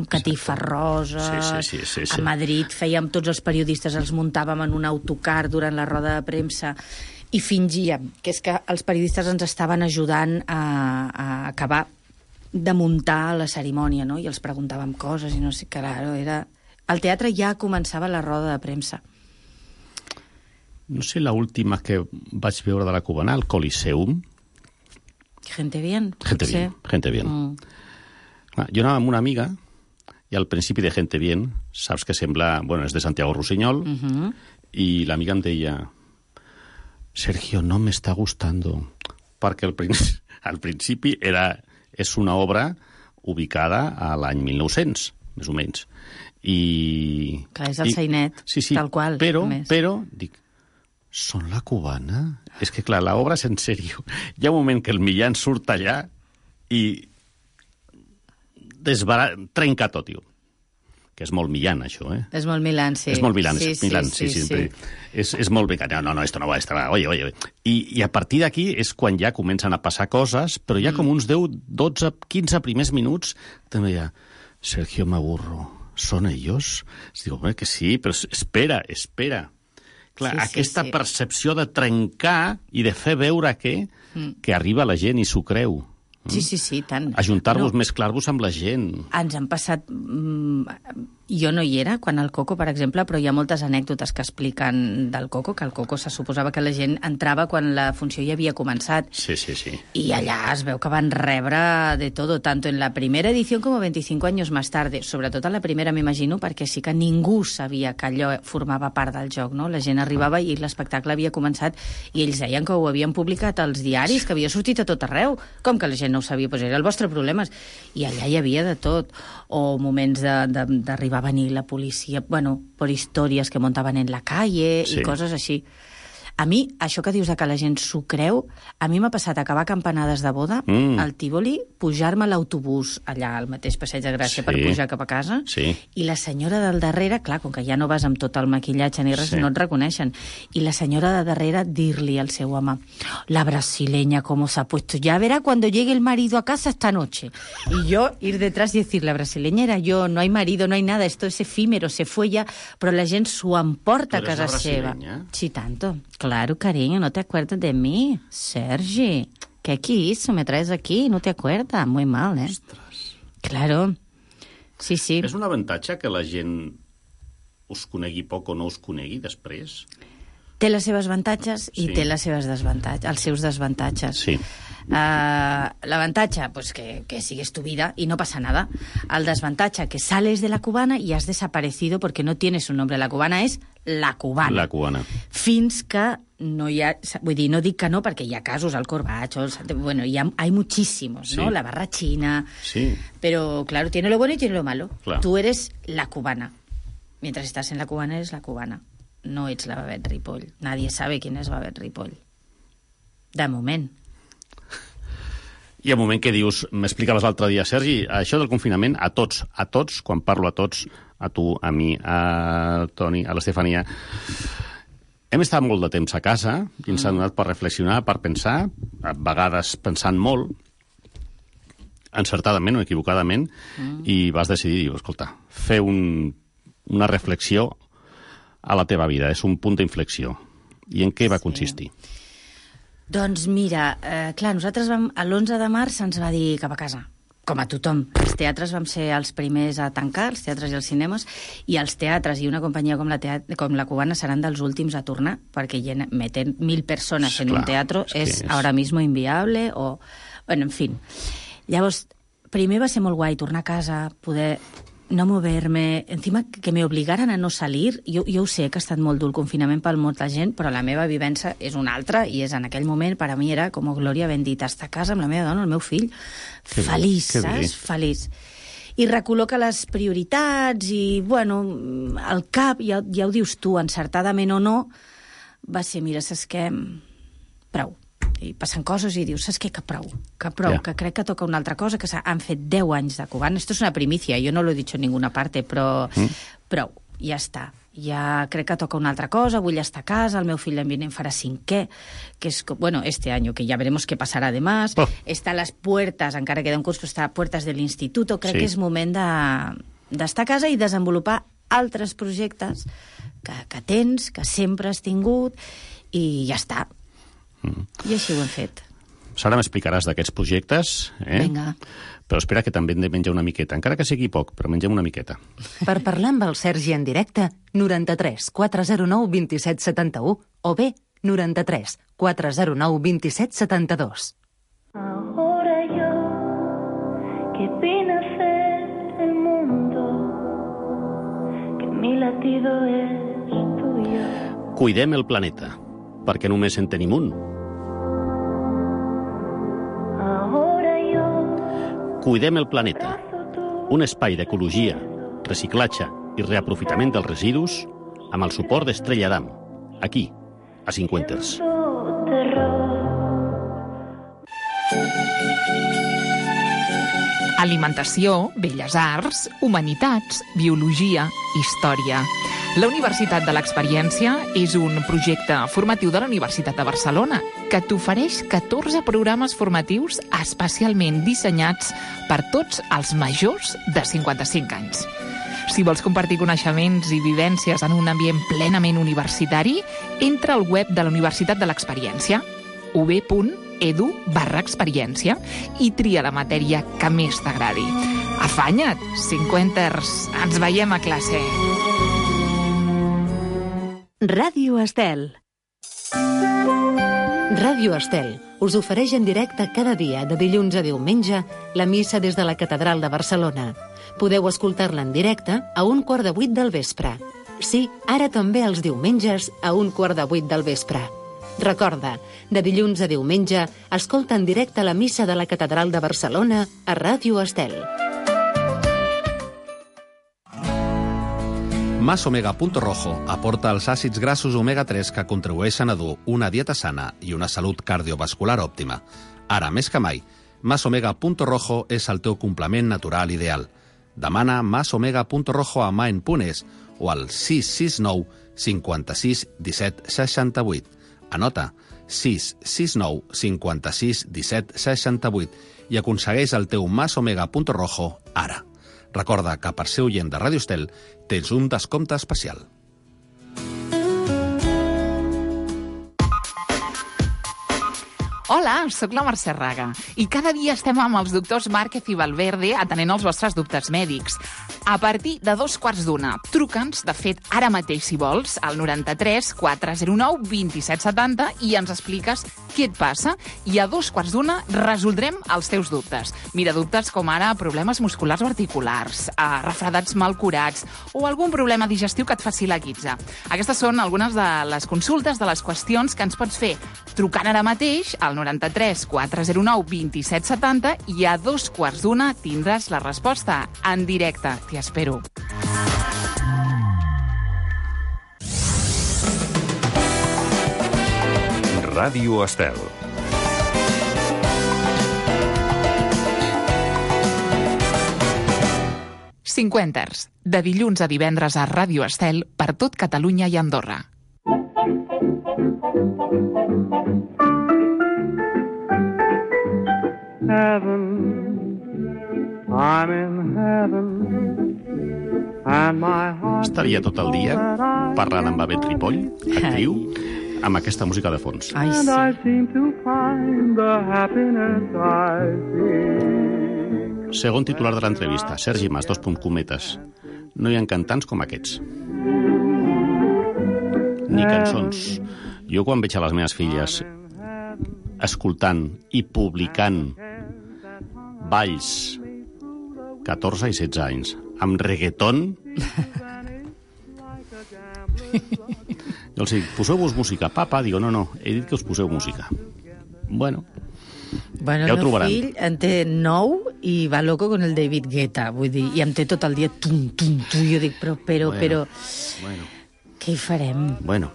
catifes roses. Sí. A Madrid fèiem, tots els periodistes els muntàvem en un autocar durant la roda de premsa i fingíem que és que els periodistes ens estaven ajudant a acabar de muntar la cerimònia, no? I els preguntàvem coses i no sé, claro, era... Al teatre ja començava la roda de premsa. No sé, la última que vaig veure de la Cubana, el Coliseum. Gente bien. Gente bien. Jo anava amb una amiga i al principi de Gente bien, saps que sembla... Bueno, és de Santiago Rusiñol, i l'amiga em deia Sergio, no me está gustando, perquè al principi és una obra ubicada a l'any 1900, més o menys. Clar, és el sainet, tal qual. Però, dic, són la Cubana? És que, clar, l'obra és en sèrio. Hi ha un moment que el Millán surt allà i trenca tot, tio. que és molt Millán, això, eh? És molt Milán, sí. És molt Milán, sí. És molt bé. No, esto no va, oye. I a partir d'aquí és quan ja comencen a passar coses, però ja com uns 10, 12, 15 primers minuts, també hi ha Sergio me aburro, ¿son ellos? Digo, que sí, però espera. Clar, aquesta percepció de trencar i de fer veure que arriba la gent i s'ho creu. Sí, tant. Ajuntar-vos, mesclar-vos amb la gent. Ens han passat... Jo no hi era quan el Coco, per exemple, però hi ha moltes anècdotes que expliquen del Coco, que el Coco se suposava que la gent entrava quan la funció ja havia començat. Sí. I allà es veu que van rebre de todo, tanto en la primera edició com 25 anys més tard. Sobretot a la primera, m'imagino, perquè sí que ningú sabia que allò formava part del joc, no? La gent arribava i l'espectacle havia començat i ells deien que ho havien publicat als diaris, que havia sortit a tot arreu. Com que la gent no ho sabia? Pues era el vostre problema. I allà hi havia de tot. O moments d'arribar a venir la policia, per històries que muntaven en la calle i coses així. A mi, això que dius que la gent s'ho creu, a mi m'ha passat acabar campanades de boda al Tívoli, pujar-me a l'autobús allà al mateix Passeig de Gràcia per pujar cap a casa, i la senyora del darrere, clar, com que ja no vas amb tot el maquillatge ni res, no et reconeixen, i la senyora de darrere dir-li al seu home, la brasileña cómo se ha puesto, ya verá cuando llegue el marido a casa esta noche. Y yo ir detrás y decir, la brasileña era yo, no hay marido, no hay nada, esto es efímero, se fue ya, però la gent s'ho emporta a casa seva. Sí, tanto. Claro, cariño, ¿no te acuerdas de mí? Sergi, ¿qué hizo? ¿Me traes aquí? ¿No te acuerdas? Muy mal, ¿eh? Ostres. Claro. Sí. És un avantatge que la gent us conegui poc o no us conegui després? Té les seves avantatges i té les seves desavantatges, els seus desavantatges. Sí. L'avantatge, pues que sigues tu vida y no pasa nada. El desavantatge, que sales de la cubana y has desaparecido porque no tienes un nombre. La cubana és la cubana. La cubana. Fins que no hi ha... Vull dir, no dic que no, perquè hi ha casos al Corbacho, bueno, hay muchísimos, ¿no? La barra china... Sí. Pero, claro, tiene lo bueno y tiene lo malo. Claro. Tú eres la cubana. Mientras estás en la cubana, eres la cubana. No ets la Babet Ripoll. Nadie sabe quién és Babet Ripoll. De moment. I al moment que dius, m'explicaves l'altre dia, Sergi, això del confinament, a tots, quan parlo a tots, a tu, a mi, a Toni, a l'Estefania, hem estat molt de temps a casa i ens ha donat per reflexionar, per pensar, a vegades pensant molt, encertadament o equivocadament, i vas decidir, escolta, fer una reflexió a la teva vida, és un punt d'inflexió. I en què va consistir? Doncs mira, clar, nosaltres l'11 de març se'ns va dir cap a casa, com a tothom. Els teatres vam ser els primers a tancar, els teatres i els cinemes, i els teatres i una companyia com la Cubana seran dels últims a tornar, perquè meter 1.000 persones en un teatro és ahora mismo inviable, o... Bueno, en fin. Llavors, primer va ser molt guai tornar a casa, poder... no moverme, encima que me obligaran a no salir. Jo ho sé que ha estat molt dur el confinament per molta gent, però la meva vivència és una altra, i és en aquell moment, per a mi era com glòria bendita, estar a casa amb la meva dona, el meu fill, feliç, saps? Feliç. I recol·loca les prioritats i, bueno, el cap, ja ho dius tu, encertadament o no, va ser, mira, saps què? Prou. I passen coses i dius, saps què? Que prou, que crec que toca una altra cosa, que han fet 10 anys de cubana. Esto es una primicia, yo no lo he dicho en ninguna parte, però prou, ja està. Ja crec que toca una altra cosa, vull estar a casa, el meu fill l'any vinent farà 5è, que és, bueno, este año, que ya veremos qué pasará además, està a les puertes, encara queda un curs, però està a puertes de l'institut, crec que és moment d'estar a casa i desenvolupar altres projectes que tens, que sempre has tingut, i ja està. I així ho hem fet. Ara m'explicaràs d'aquests projectes, Vinga. Però espera que també hem de menjar una miqueta, encara que sigui poc, però mengem una miqueta. Per parlar amb el Sergi en directe, 93 409 27 71 o bé 93 409 27 72. Ahora yo, que vine a ser el mundo, que mi latido es tuyo. Cuidem el planeta, perquè només en tenim un. Cuidem el planeta, un espai d'ecologia, reciclatge i reaprofitament dels residus amb el suport d'Estrella Damm, aquí, a Cincuenters. Alimentació, belles arts, humanitats, biologia, història. La Universitat de l'Experiència és un projecte formatiu de la Universitat de Barcelona que t'ofereix 14 programes formatius especialment dissenyats per tots els majors de 55 anys. Si vols compartir coneixements i vivències en un ambient plenament universitari, entra al web de la Universitat de l'Experiència, ub.edu/experiència, i tria la matèria que més t'agradi. Afanya't, 50ers! Ens veiem a classe! Ràdio Estel. Ràdio Estel us ofereix en directe cada dia, de dilluns a diumenge, la missa des de la Catedral de Barcelona. Podeu escoltar-la en directe a 7:15 del vespre. Sí, ara també els diumenges a 7:15 del vespre. Recorda, de dilluns a diumenge, escolta en directe la missa de la Catedral de Barcelona a Ràdio Estel. Masomega.rojo aporta els àcids grassos omega-3 que contribueixen a dur una dieta sana i una salut cardiovascular òptima. Ara, més que mai, Masomega.rojo és el teu complement natural ideal. Demana Masomega.rojo a Maen.es o al 669 56 17 68. Anota 669 56 17 68 i aconsegueix el teu Masomega.rojo ara. Recorda que per ser oient de Ràdio Estel tens un descompte especial. Hola, sóc la Mercè Raga i cada dia estem amb els doctors Márquez i Valverde atenent els vostres dubtes mèdics. A partir de 2:15, truca'ns, de fet, ara mateix, si vols, al 93 409 2770 i ens expliques què et passa i a 2:15 resoldrem els teus dubtes. Mira, dubtes com ara problemes musculars o articulars, refredats mal curats o algun problema digestiu que et faci la guitza. Aquestes són algunes de les consultes, de les qüestions que ens pots fer trucant ara mateix al 93 409 2770 i a 2:15 tindràs la resposta en directe. T'hi espero. Ràdio Estel. Cinquenters, de dilluns a divendres a Ràdio Estel per tot Catalunya i Andorra. Estaria tot el dia parlant amb Avet Ripoll, actriu, amb aquesta música de fons. Ai, sí. Segon titular de l'entrevista, Sergi Mas, cometes. No hi ha cantants com aquests. Ni cançons. Jo quan veig a les meves filles escoltant i publicant balls 14 i 16 anys amb reggaeton, jo els dic, poseu-vos música, papa. Digo, no, he dit que us poseu música. Bueno, ja ho trobaran. El meu fill en té 9 i va loco con el David Guetta, vull dir, i em té tot el dia tum, jo dic, però, què hi farem? Bueno,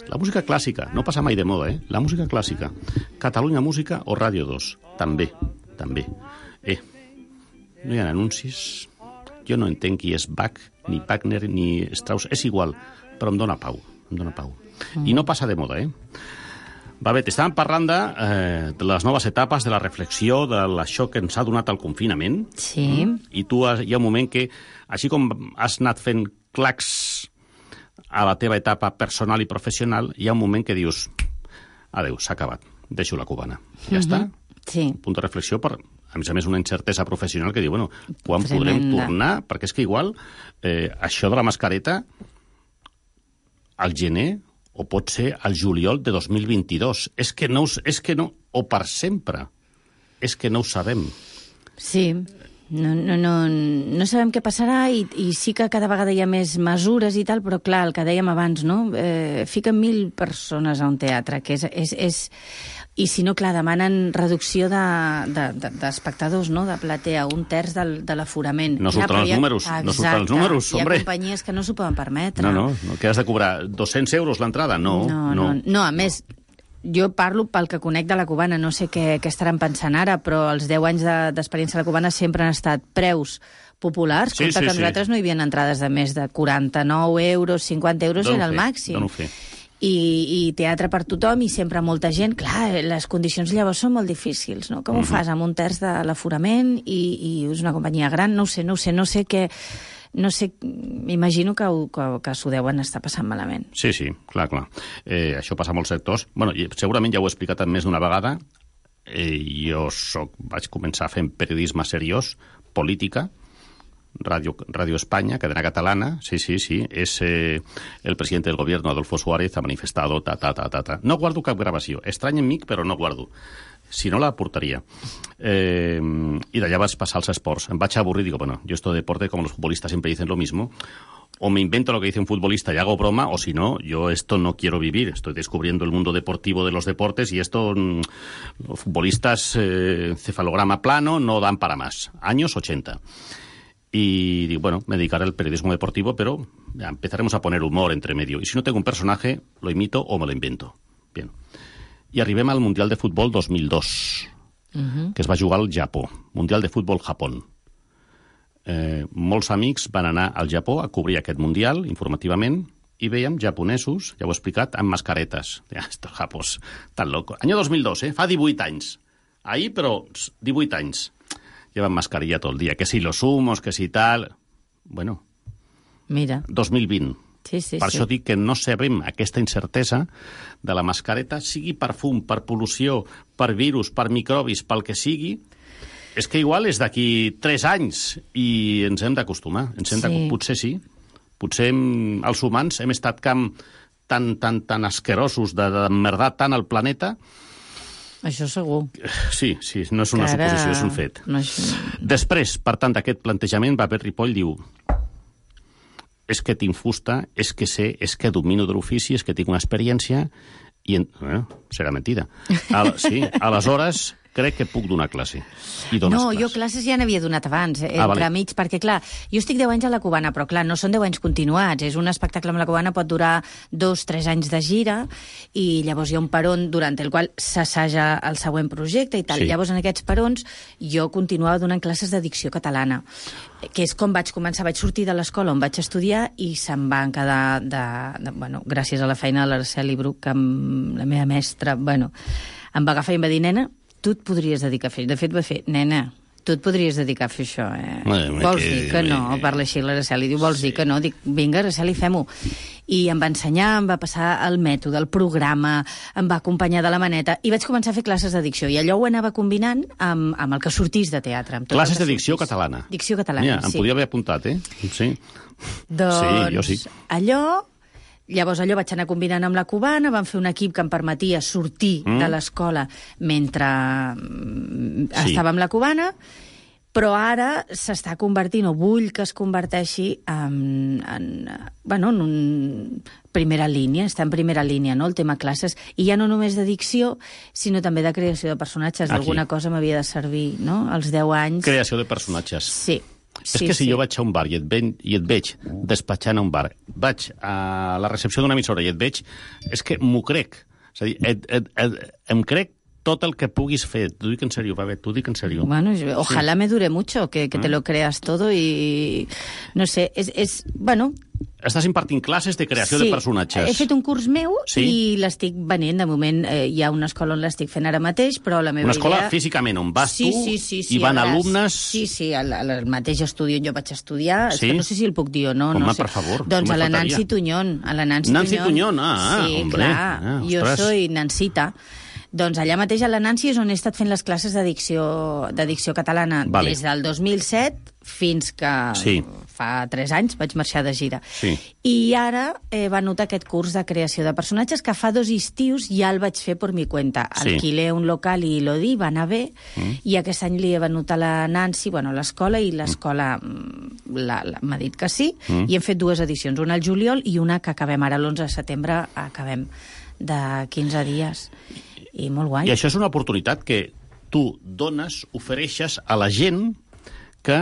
la música clàssica, no passa mai de moda, La música clàssica. Catalunya Música o Ràdio 2, també. No hi ha anuncis, jo no entenc qui és Bach, ni Wagner, ni Strauss, és igual, però em dóna pau. I no passa de moda, Va bé, t'estàvem parlant de les noves etapes, de la reflexió, de això que ens ha donat el confinament. Sí. I tu hi ha un moment que, així com has anat fent clacs a la teva etapa personal i professional, hi ha un moment que dius, adeu, s'ha acabat, deixo la cubana. Ja està? Sí. Punt de reflexió per, a més, una incertesa professional que diu, quan podrem tornar? Perquè és que igual això de la mascareta al gener o pot ser al juliol de 2022. És que no, o per sempre. És que no ho sabem. Sí, no sabem què passarà i sí que cada vegada hi ha més mesures i tal, però clar, el que dèiem abans, no? Fiquen 1.000 persones a un teatre, que és I si no, clar, demanen reducció d'espectadors, no?, de platea, 1/3 de l'aforament. No surten els números, hombre. Hi ha companyies que no s'ho poden permetre. No, que has de cobrar 200 euros l'entrada, no. No, a més, jo parlo pel que conec de la cubana, no sé què estaran pensant ara, però els 10 anys d'experiència de la cubana sempre han estat preus populars. Compte que nosaltres no hi havia entrades de més de 49 euros, 50 euros era el màxim. Dono fe. I teatre per tothom i sempre molta gent. Clar, les condicions llavors són molt difícils, no? Com ho fas amb un terç de l'aforament i és una companyia gran? No ho sé què... No sé, m'imagino que s'ho deuen estar passant malament. Sí, clar. Això passa a molts sectors. Bueno, segurament ja ho he explicat més d'una vegada. Jo vaig començar fent periodisme seriós, política, Radio España, cadena catalana, sí, es el presidente del gobierno, Adolfo Suárez, ha manifestado, No guardo cap gravació, estrany en mi, però no guardo. Si no, la portaria. I d'allà vaig passar als esports. Em vaig avorrir, digo, bueno, yo esto de deporte, como los futbolistas siempre dicen lo mismo, o me invento lo que dice un futbolista y hago broma, o si no, yo esto no quiero vivir. Estoy descubriendo el mundo deportivo de los deportes y esto, los futbolistas, encefalograma plano, no dan para más. Años 80. Y bueno, me dedicaré al periodismo deportivo, pero ya empezaremos a poner humor entre medio. Y si no tengo un personaje, lo imito o me lo invento. Bien. I arribem al Mundial de Futbol 2002, que es va jugar al Japó. Mundial de Futbol Japó. Molts amics van anar al Japó a cobrir aquest Mundial, informativament, i veiem japonesos, ja ho he explicat, amb mascaretes. Estos japos, tan locos. Año 2002, fa 18 anys. Ahí, però 18 anys. Llevan mascarilla todo el día. Que si los humos, que si tal... Bueno. Mira. 2020. Sí. Per això dic que no sabem aquesta incertesa de la mascareta, sigui per fum, per pol·lució, per virus, per microbis, pel que sigui, és que igual és d'aquí 3 anys i ens hem d'acostumar. Potser sí. Potser els humans hem estat tan asquerosos d'emmerdar tant el planeta. Això segur. Sí, no és una suposició, és un fet. No és... Després, per tant, d'aquest plantejament, va haver Ripoll, diu... és que tinc fusta, és que sé, és que domino de l'ofici, és que tinc una experiència i... serà mentida. Aleshores, crec que puc donar classe. I dones classe. Jo classes ja n'havia donat abans, entremig, perquè, clar, jo estic 10 anys a la Cubana, però, clar, no són 10 anys continuats. És un espectacle amb la Cubana, pot durar 2-3 anys de gira, i llavors hi ha un peron durant el qual s'assaja el següent projecte i tal. Sí. Llavors, en aquests perons, jo continuava donant classes de dicció catalana, que és com vaig començar. Vaig sortir de l'escola on vaig estudiar i se'm van quedar bueno, gràcies a la feina de l'Araceli Bruc, amb la meva mestra, bueno, em va agafar i em va dir, nena, tu et podries dedicar a fer... De fet, va fer, nena, tu et podries dedicar a fer això, Vols dir que no? Parla així l'Araceli, diu, vols dir que no? Dic, vinga, Araceli, fem-ho. I em va ensenyar, em va passar el mètode, el programa, em va acompanyar de la maneta, i vaig començar a fer classes de dicció, i allò ho anava combinant amb el que sortís de teatre. Classes de dicció catalana. Dicció catalana, sí. Em podia haver apuntat, Sí. Doncs sí, jo sí. Llavors allò vaig anar combinant amb la Cubana, vam fer un equip que em permetia sortir de l'escola mentre estava amb la Cubana, però ara s'està convertint, o vull que es converteixi en primera línia, està en primera línia, no?, el tema classes, i ja no només de dicció, sinó també de creació de personatges. Alguna cosa m'havia de servir, no?, als 10 anys. Creació de personatges. Sí. És que si jo vaig a un bar i et veig despatxant a un bar, vaig a la recepció d'una emissora i et veig, és que m'ho crec. És a dir, em crec tot el que puguis fer. T'ho dic en sèrio, Babet, t'ho dic en sèrio. Bueno, ojalá me dure mucho, que te lo creas todo y... No sé, bueno... Estàs impartint classes de creació de personatges. He fet un curs meu i l'estic venent. De moment hi ha una escola on l'estic fent ara mateix, però la meva idea... Una escola físicament on vas tu i van alumnes... Sí, al mateix estudi on jo vaig estudiar. És que no sé si el puc dir o no. Home, per favor. Doncs a la Nancy Tuñón. Nancy Tuñón, sí, hombre. Clar, jo soy Nancita. Doncs allà mateix a la Nancy és on he estat fent les classes de dicció catalana des del 2007 fins que fa 3 anys vaig marxar de gira. I ara va notar aquest curs de creació de personatges que fa 2 estius ja el vaig fer per mi cuenta. Alquilé un local i lo di, va anar bé, i aquest any li he venut a la Nancy, bueno, a l'escola, i l'escola m'ha dit que sí, i hem fet 2 edicions, una al juliol i una que acabem ara l'11 de setembre, acabem de 15 dies. I molt guai. I això és una oportunitat que tu dones, ofereixes a la gent que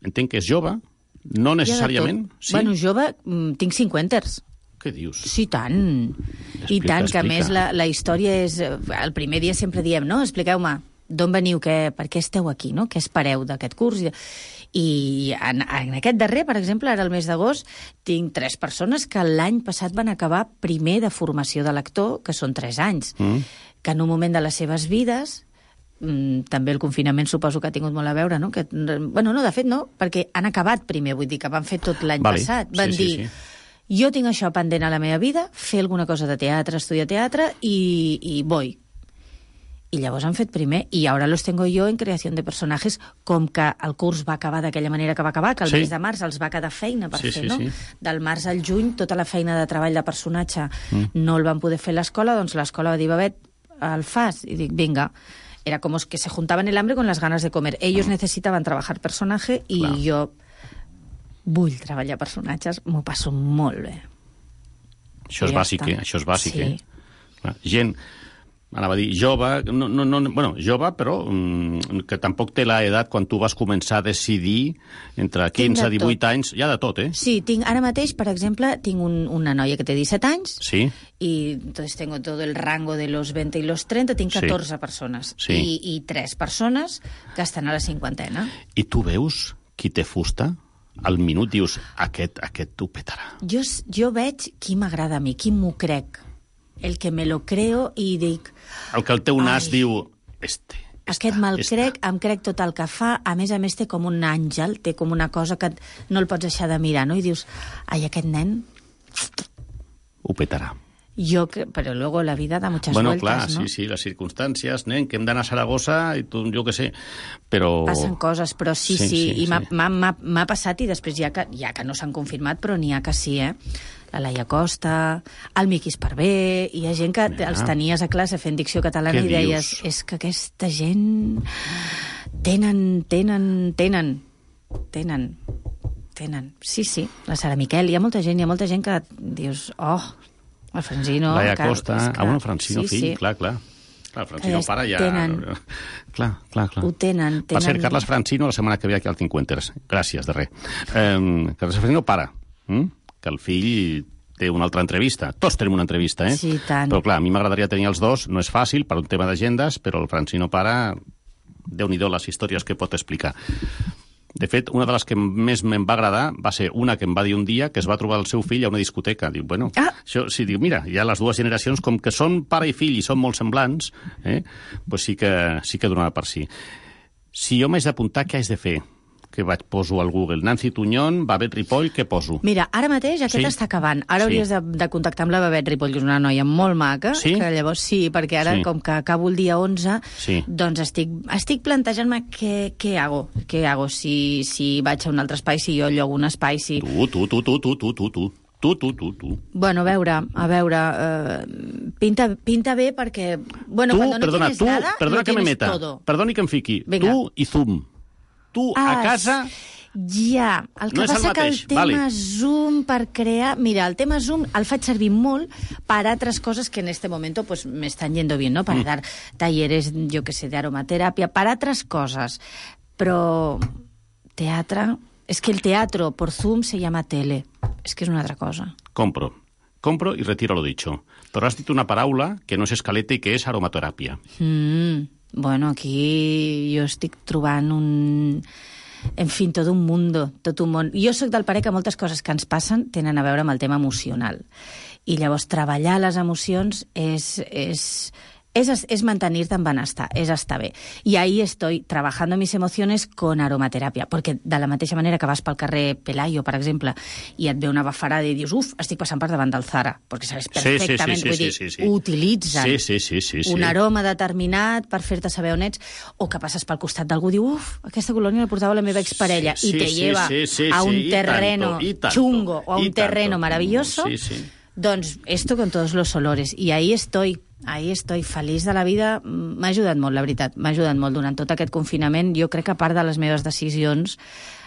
entenc que és jove, no necessàriament... Bueno, jove, tinc 50ers. Què dius? Sí, tant. I tant, que a més la història és... El primer dia sempre diem, no? Expliqueu-me d'on veniu, per què esteu aquí, no? Què espereu d'aquest curs? I en aquest darrer, per exemple, ara el mes d'agost, tinc 3 persones que l'any passat van acabar primer de formació de lector, que són 3 anys, que en un moment de les seves vides... també el confinament suposo que ha tingut molt a veure, no? Bueno, no, de fet no, perquè han acabat primer, vull dir que van fer tot l'any passat. Van dir, jo tinc això pendent a la meva vida, fer alguna cosa de teatre, estudiar teatre, i voy. I llavors han fet primer, i ara los tengo yo en creació de personatges, com que el curs va acabar d'aquella manera que va acabar, que el mes de març els va quedar feina per fer, no? Del març al juny, tota la feina de treball de personatge no el van poder fer a l'escola, doncs l'escola va dir, Babet, el fas? I dic, vinga. Era como que se juntaban el hambre con las ganas de comer. Ellos necesitaban trabajar personaje i jo vull treballar personatges, m'ho passo molt bé. Això és bàsic, Això és bàsic, Gent, anava a dir, jove, jove, però que tampoc té l'edat quan tu vas començar a decidir entre 15 i 18 anys, hi ha de tot, Sí, ara mateix, per exemple, tinc una noia que té 17 anys, y entonces tengo todo el rango de los 20 y los 30, tinc 14 persones, i 3 persones que estan a la cinquantena. I tu veus qui té fusta? Al minut dius, aquest t'ho petarà. Jo veig qui m'agrada a mi, qui m'ho crec. El que me lo creo i dic... El que el teu nas diu... Aquest me'l crec, em crec tot el que fa, a més té com un àngel, té com una cosa que no el pots deixar de mirar, no? I dius, ai, aquest nen... Ho petarà. Però luego la vida da muchas vueltas, clar, ¿no? Sí, les circumstàncies, nen, que hem d'anar a Saragossa, i tu, jo què sé, però... Passen coses, però sí, i m'ha passat, i després ja que no s'han confirmat, però n'hi ha que sí, La Laia Costa, el Miqui Esparvé, hi ha gent que els tenies a classe fent dicció catalana i deies, és que aquesta gent tenen. Sí, la Sara Miquel, hi ha molta gent que dius, el Francino... Laia Costa, Francino fill, clar. El Francino pare ja... Clar. Ho tenen. Per cert, Carles Francino, la setmana que ve aquí al Cincuenters. Gràcies, de res. Carles Francino pare, que el fill té una altra entrevista. Tots tenim una entrevista, Sí, tant. Però clar, a mi m'agradaria tenir els dos. No és fàcil per un tema d'agendes, però el Francino pare, Déu-n'hi-do les històries que pot explicar. De fet, una de les que més me'n va agradar va ser una que em va dir un dia que es va trobar el seu fill a una discoteca. Diu, diu, mira, ja les dues generacions, com que són pare i fill i són molt semblants, doncs sí que donava per si. Si jo m'haig d'apuntar, què haig de fer? Que poso al Google. Nancy Tuñón, Babet Ripoll, què poso? Mira, ara mateix aquest està acabant. Ara hauries de contactar amb la Babet Ripoll, que és una noia molt maca, que llavors perquè ara, com que acabo el dia 11, doncs estic plantejant-me què hago. Què hago si vaig a un altre espai, si jo llogo un espai, si... Tu. Bueno, a veure, pinta bé perquè... Bueno, cuando no tienes nada, lo tienes todo. Perdoni que em fiqui. Tu i Zoom. Tu a casa... Ja, el que passa que el tema Zoom per crear... Mira, el tema Zoom el faig servir molt per altres coses que en este momento pues me están yendo bien, ¿no? Para dar talleres, yo que sé, de aromaterapia, para otras cosas. Pero teatro... Es que el teatro por Zoom se llama tele. Es que es una altra cosa. Compro y retiro lo dicho. Però has dit una paraula que no és escaleta i que és aromateràpia. Bueno, aquí jo estic trobant en fi, tot un món. Jo sóc del parer que moltes coses que ens passen tenen a veure amb el tema emocional. I llavors treballar les emocions es mantenirte en benestar, es estar bé. Y ahí estoy trabajando mis emociones con aromaterapia, perquè de la mateixa manera que vas pel carrer Pelayo, per exemple, i et ve una bafarada i dius, estic passant per davant del Zara, perquè sabes perfectament, vull dir, utilitzen un aroma determinat per fer-te saber on ets, o que passes pel costat d'algú i diu, aquesta colònia la portava la meva exparella, i te lleva a un terreno chungo o a un terreno maravilloso, doncs esto con todos los olores. I ahí estoy feliç de la vida. M'ha ajudat molt, la veritat, m'ha ajudat molt durant tot aquest confinament. Jo crec que part de les meves decisions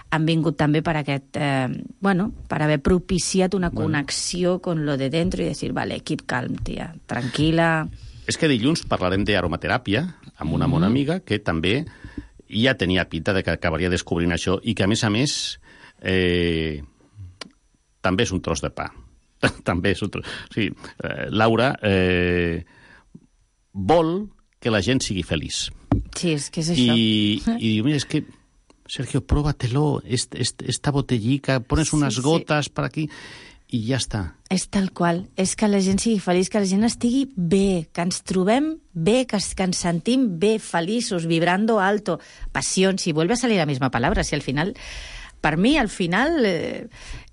han vingut també per aquest, per haver propiciat una connexió con lo de dentro i dir, vale, keep calm, tia, tranquil·la. És que dilluns parlarem d'aromateràpia amb una bona amiga que també ja tenia pinta de que acabaria descobrint això i que, a més, també és un tros de pa. També és otro. Sí, Laura vol que la gent sigui feliç. Sí, és que és això. I diu, mira, és que, Sergio, próbatelo, esta botellica, pones unes gotes per aquí i ja està. És tal qual. És que la gent sigui feliç, que la gent estigui bé, que ens trobem bé, que ens sentim bé, feliços, vibrando alto. Pasión, si vuelve a salir la misma palabra, si al final... Per mi, al final,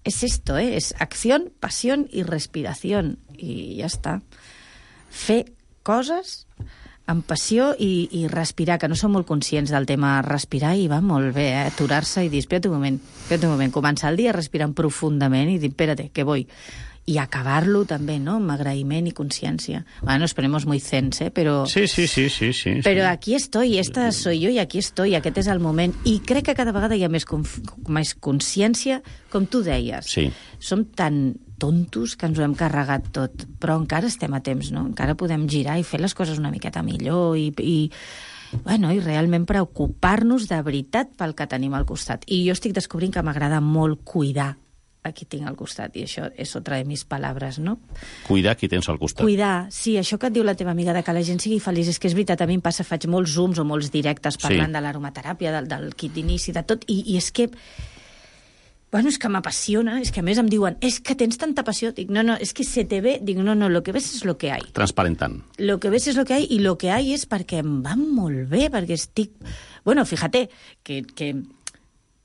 es esto, es acción, pasión y respiración. I ja està. Fer coses amb passió i respirar, que no som molt conscients del tema respirar, i va molt bé, aturar-se i dir, espera't un moment, començar el dia respirant profundament i dir, espérate, que voy. I acabar-lo també, no?, amb agraïment i consciència. Bueno, nos ponemos muy zens, però... Sí. Però aquí estoy, esta soy yo, i aquí estoy, aquest és el moment. I crec que cada vegada hi ha més consciència, com tu deies. Sí. Som tan tontos que ens ho hem carregat tot, però encara estem a temps, no? Encara podem girar i fer les coses una miqueta millor i realment preocupar-nos de veritat pel que tenim al costat. I jo estic descobrint que m'agrada molt cuidar a qui tinc al costat, i això és otra de mis palabres, no? Cuidar qui tens al costat. Cuidar, sí, això que et diu la teva amiga, de que la gent sigui feliç, és que és veritat, a mi em passa, faig molts zooms o molts directes parlant de l'aromateràpia, del kit d'inici, de tot, i és que... Bueno, és que m'apassiona, és que a més em diuen, és que tens tanta passió. Dic, no, és que se te ve... Dic, no, lo que ves és lo que hay. Transparentant. Lo que ves és lo que hay, i lo que hay és perquè em va molt bé, perquè estic... Bueno, fíjate,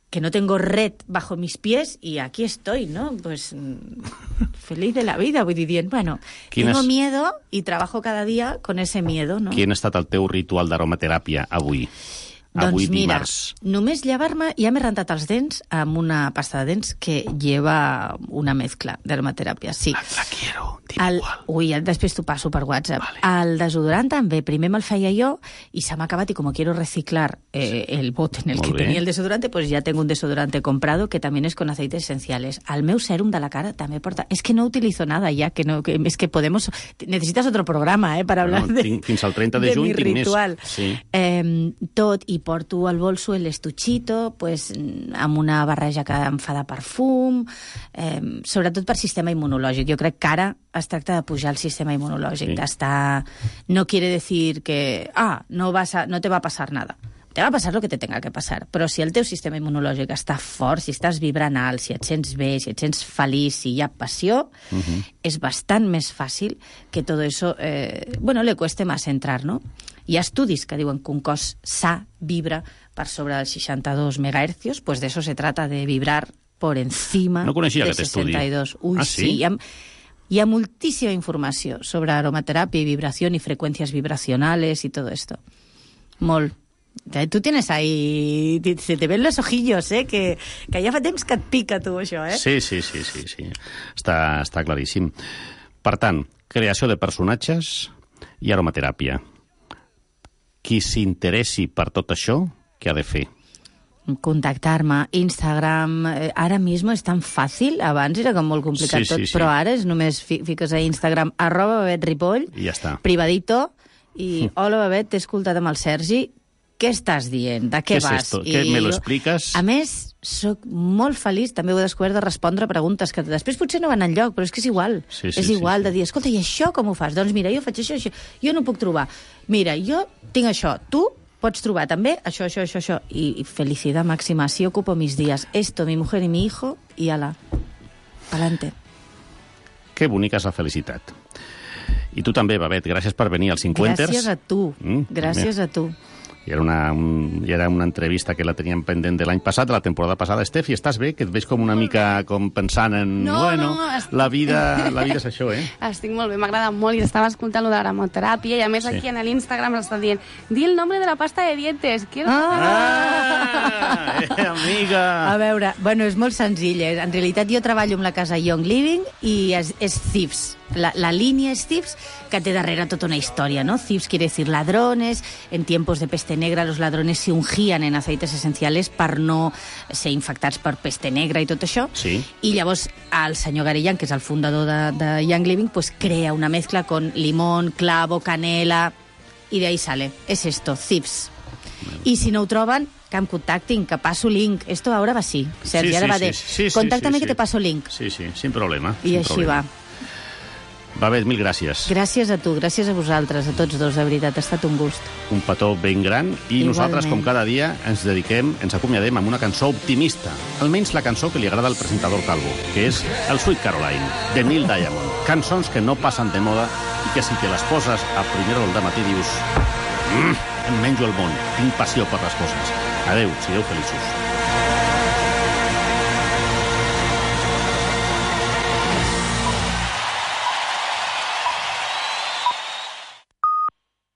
que no tengo red bajo mis pies y aquí estoy, ¿no? Pues feliz de la vida, vull dir, dient, bueno, tengo miedo y trabajo cada día con ese miedo, ¿no? Quin ha estat el teu ritual d'aromateràpia avui? Avui Doncs mira, dimarts. només llevar-me, ja m'he rentat els dents amb una pasta de dents que lleva una mezcla d'aromateràpia, sí. La quiero, dime igual. Ui, després t'ho passo per WhatsApp. Vale. El desodorant també, primer me'l feia jo i se m'ha acabat, y como quiero reciclar el bote en el que tenía el desodorante, pues ya tengo un desodorante comprado que también es con aceites esenciales. El meu sèrum de la cara també porta... És que no utilizo nada ya, es que podemos... Necesitas otro programa, para hablar fins al 30 de juny mi ritual. Sí. Tot, i porto al bolso l'estuchito, pues, amb una barreja que em fa de perfum, sobretot per sistema immunològic. Jo crec que ara es tracta de pujar el sistema immunològic, d'estar... No quiere decir que, no te va a pasar nada. Te va a pasar lo que te tenga que pasar, però si el teu sistema immunològic està fort, si estàs vibrant alt, si et sents bé, si et sents feliç, si hi ha passió, és bastant més fàcil que tot això, le cueste más entrar, ¿no? Hi ha estudis que diuen que un cos sa vibra per sobre dels 62 megahercios, pues de eso se trata, de vibrar por encima de 62. Uy, sí. Hi ha moltíssima informació sobre aromateràpia i vibració i freqüències vibracionales i tot esto. Molt. Tu tienes ahí... Se te ven los ojillos, que ja fa temps que et pica, tu, això, Sí. Està claríssim. Per tant, creació de personatges i aromateràpia. Qui s'interessi per tot això, què ha de fer? Contactar-me, Instagram, ara mismo és tan fàcil, abans era com molt complicat tot, però ara és només fiques a Instagram @BabetRipoll, i ja està. Privadito, i hola Babet, t'he escoltat amb el Sergi, què estàs dient? De què vas? Esto? Què me lo expliques? A més, soc molt feliç, també ho he descobert, de respondre preguntes que després potser no van enlloc, però és que és igual. És igual de dir, escolta, i això com ho fas? Doncs mira, jo faig això. Jo no puc trobar. Mira, jo tinc això. Tu pots trobar també això. I felicitat màxima. Así ocupo mis días. Esto, mi mujer y mi hijo, y ala. Pa'lante. Que bonica és la felicitat. I tu també, Babet, gràcies per venir als 50ers. Gràcies a tu. Gràcies a tu. I era una entrevista que la teníem pendent de l'any passat, de la temporada passada. Estefi, estàs bé? Que et veig com una mica com pensant en... La vida és això, Estic molt bé, m'agrada molt i estava escoltant lo de l'aromateràpia i a més aquí en l'Instagram està dient di el nombre de la pasta de dientes. Amiga! A veure, és molt senzill. En realitat jo treballo amb la casa Young Living i és Thieves. La línea es Thieves, que té darrere tota una història, ¿no? Thieves quiere decir ladrones. En tiempos de peste negra los ladrones se ungían en aceites esenciales per no ser infectats per peste negra i tot això. Sí. I llavors el senyor Garillan, que és el fundador de Young Living, pues crea una mezcla con limón, clavo, canela, y de ahí sale. Es esto, Thieves. I si no ho troben, que em contactin, que passo link. Esto ahora va así. Sergi, ara va de... Contáctame que te passo link. Sí, sin problema. I així va. Va bé, mil gràcies. Gràcies a tu, gràcies a vosaltres, a tots dos, de veritat, ha estat un gust. Un petó ben gran i nosaltres, com cada dia, ens acomiadem amb una cançó optimista. Almenys la cançó que li agrada al presentador Calvo, que és el Sweet Caroline, de Neil Diamond. Cançons que no passen de moda i que si te les poses a primera hora del matí dius em menjo el món, tinc passió per les coses. Adéu, sigueu feliços.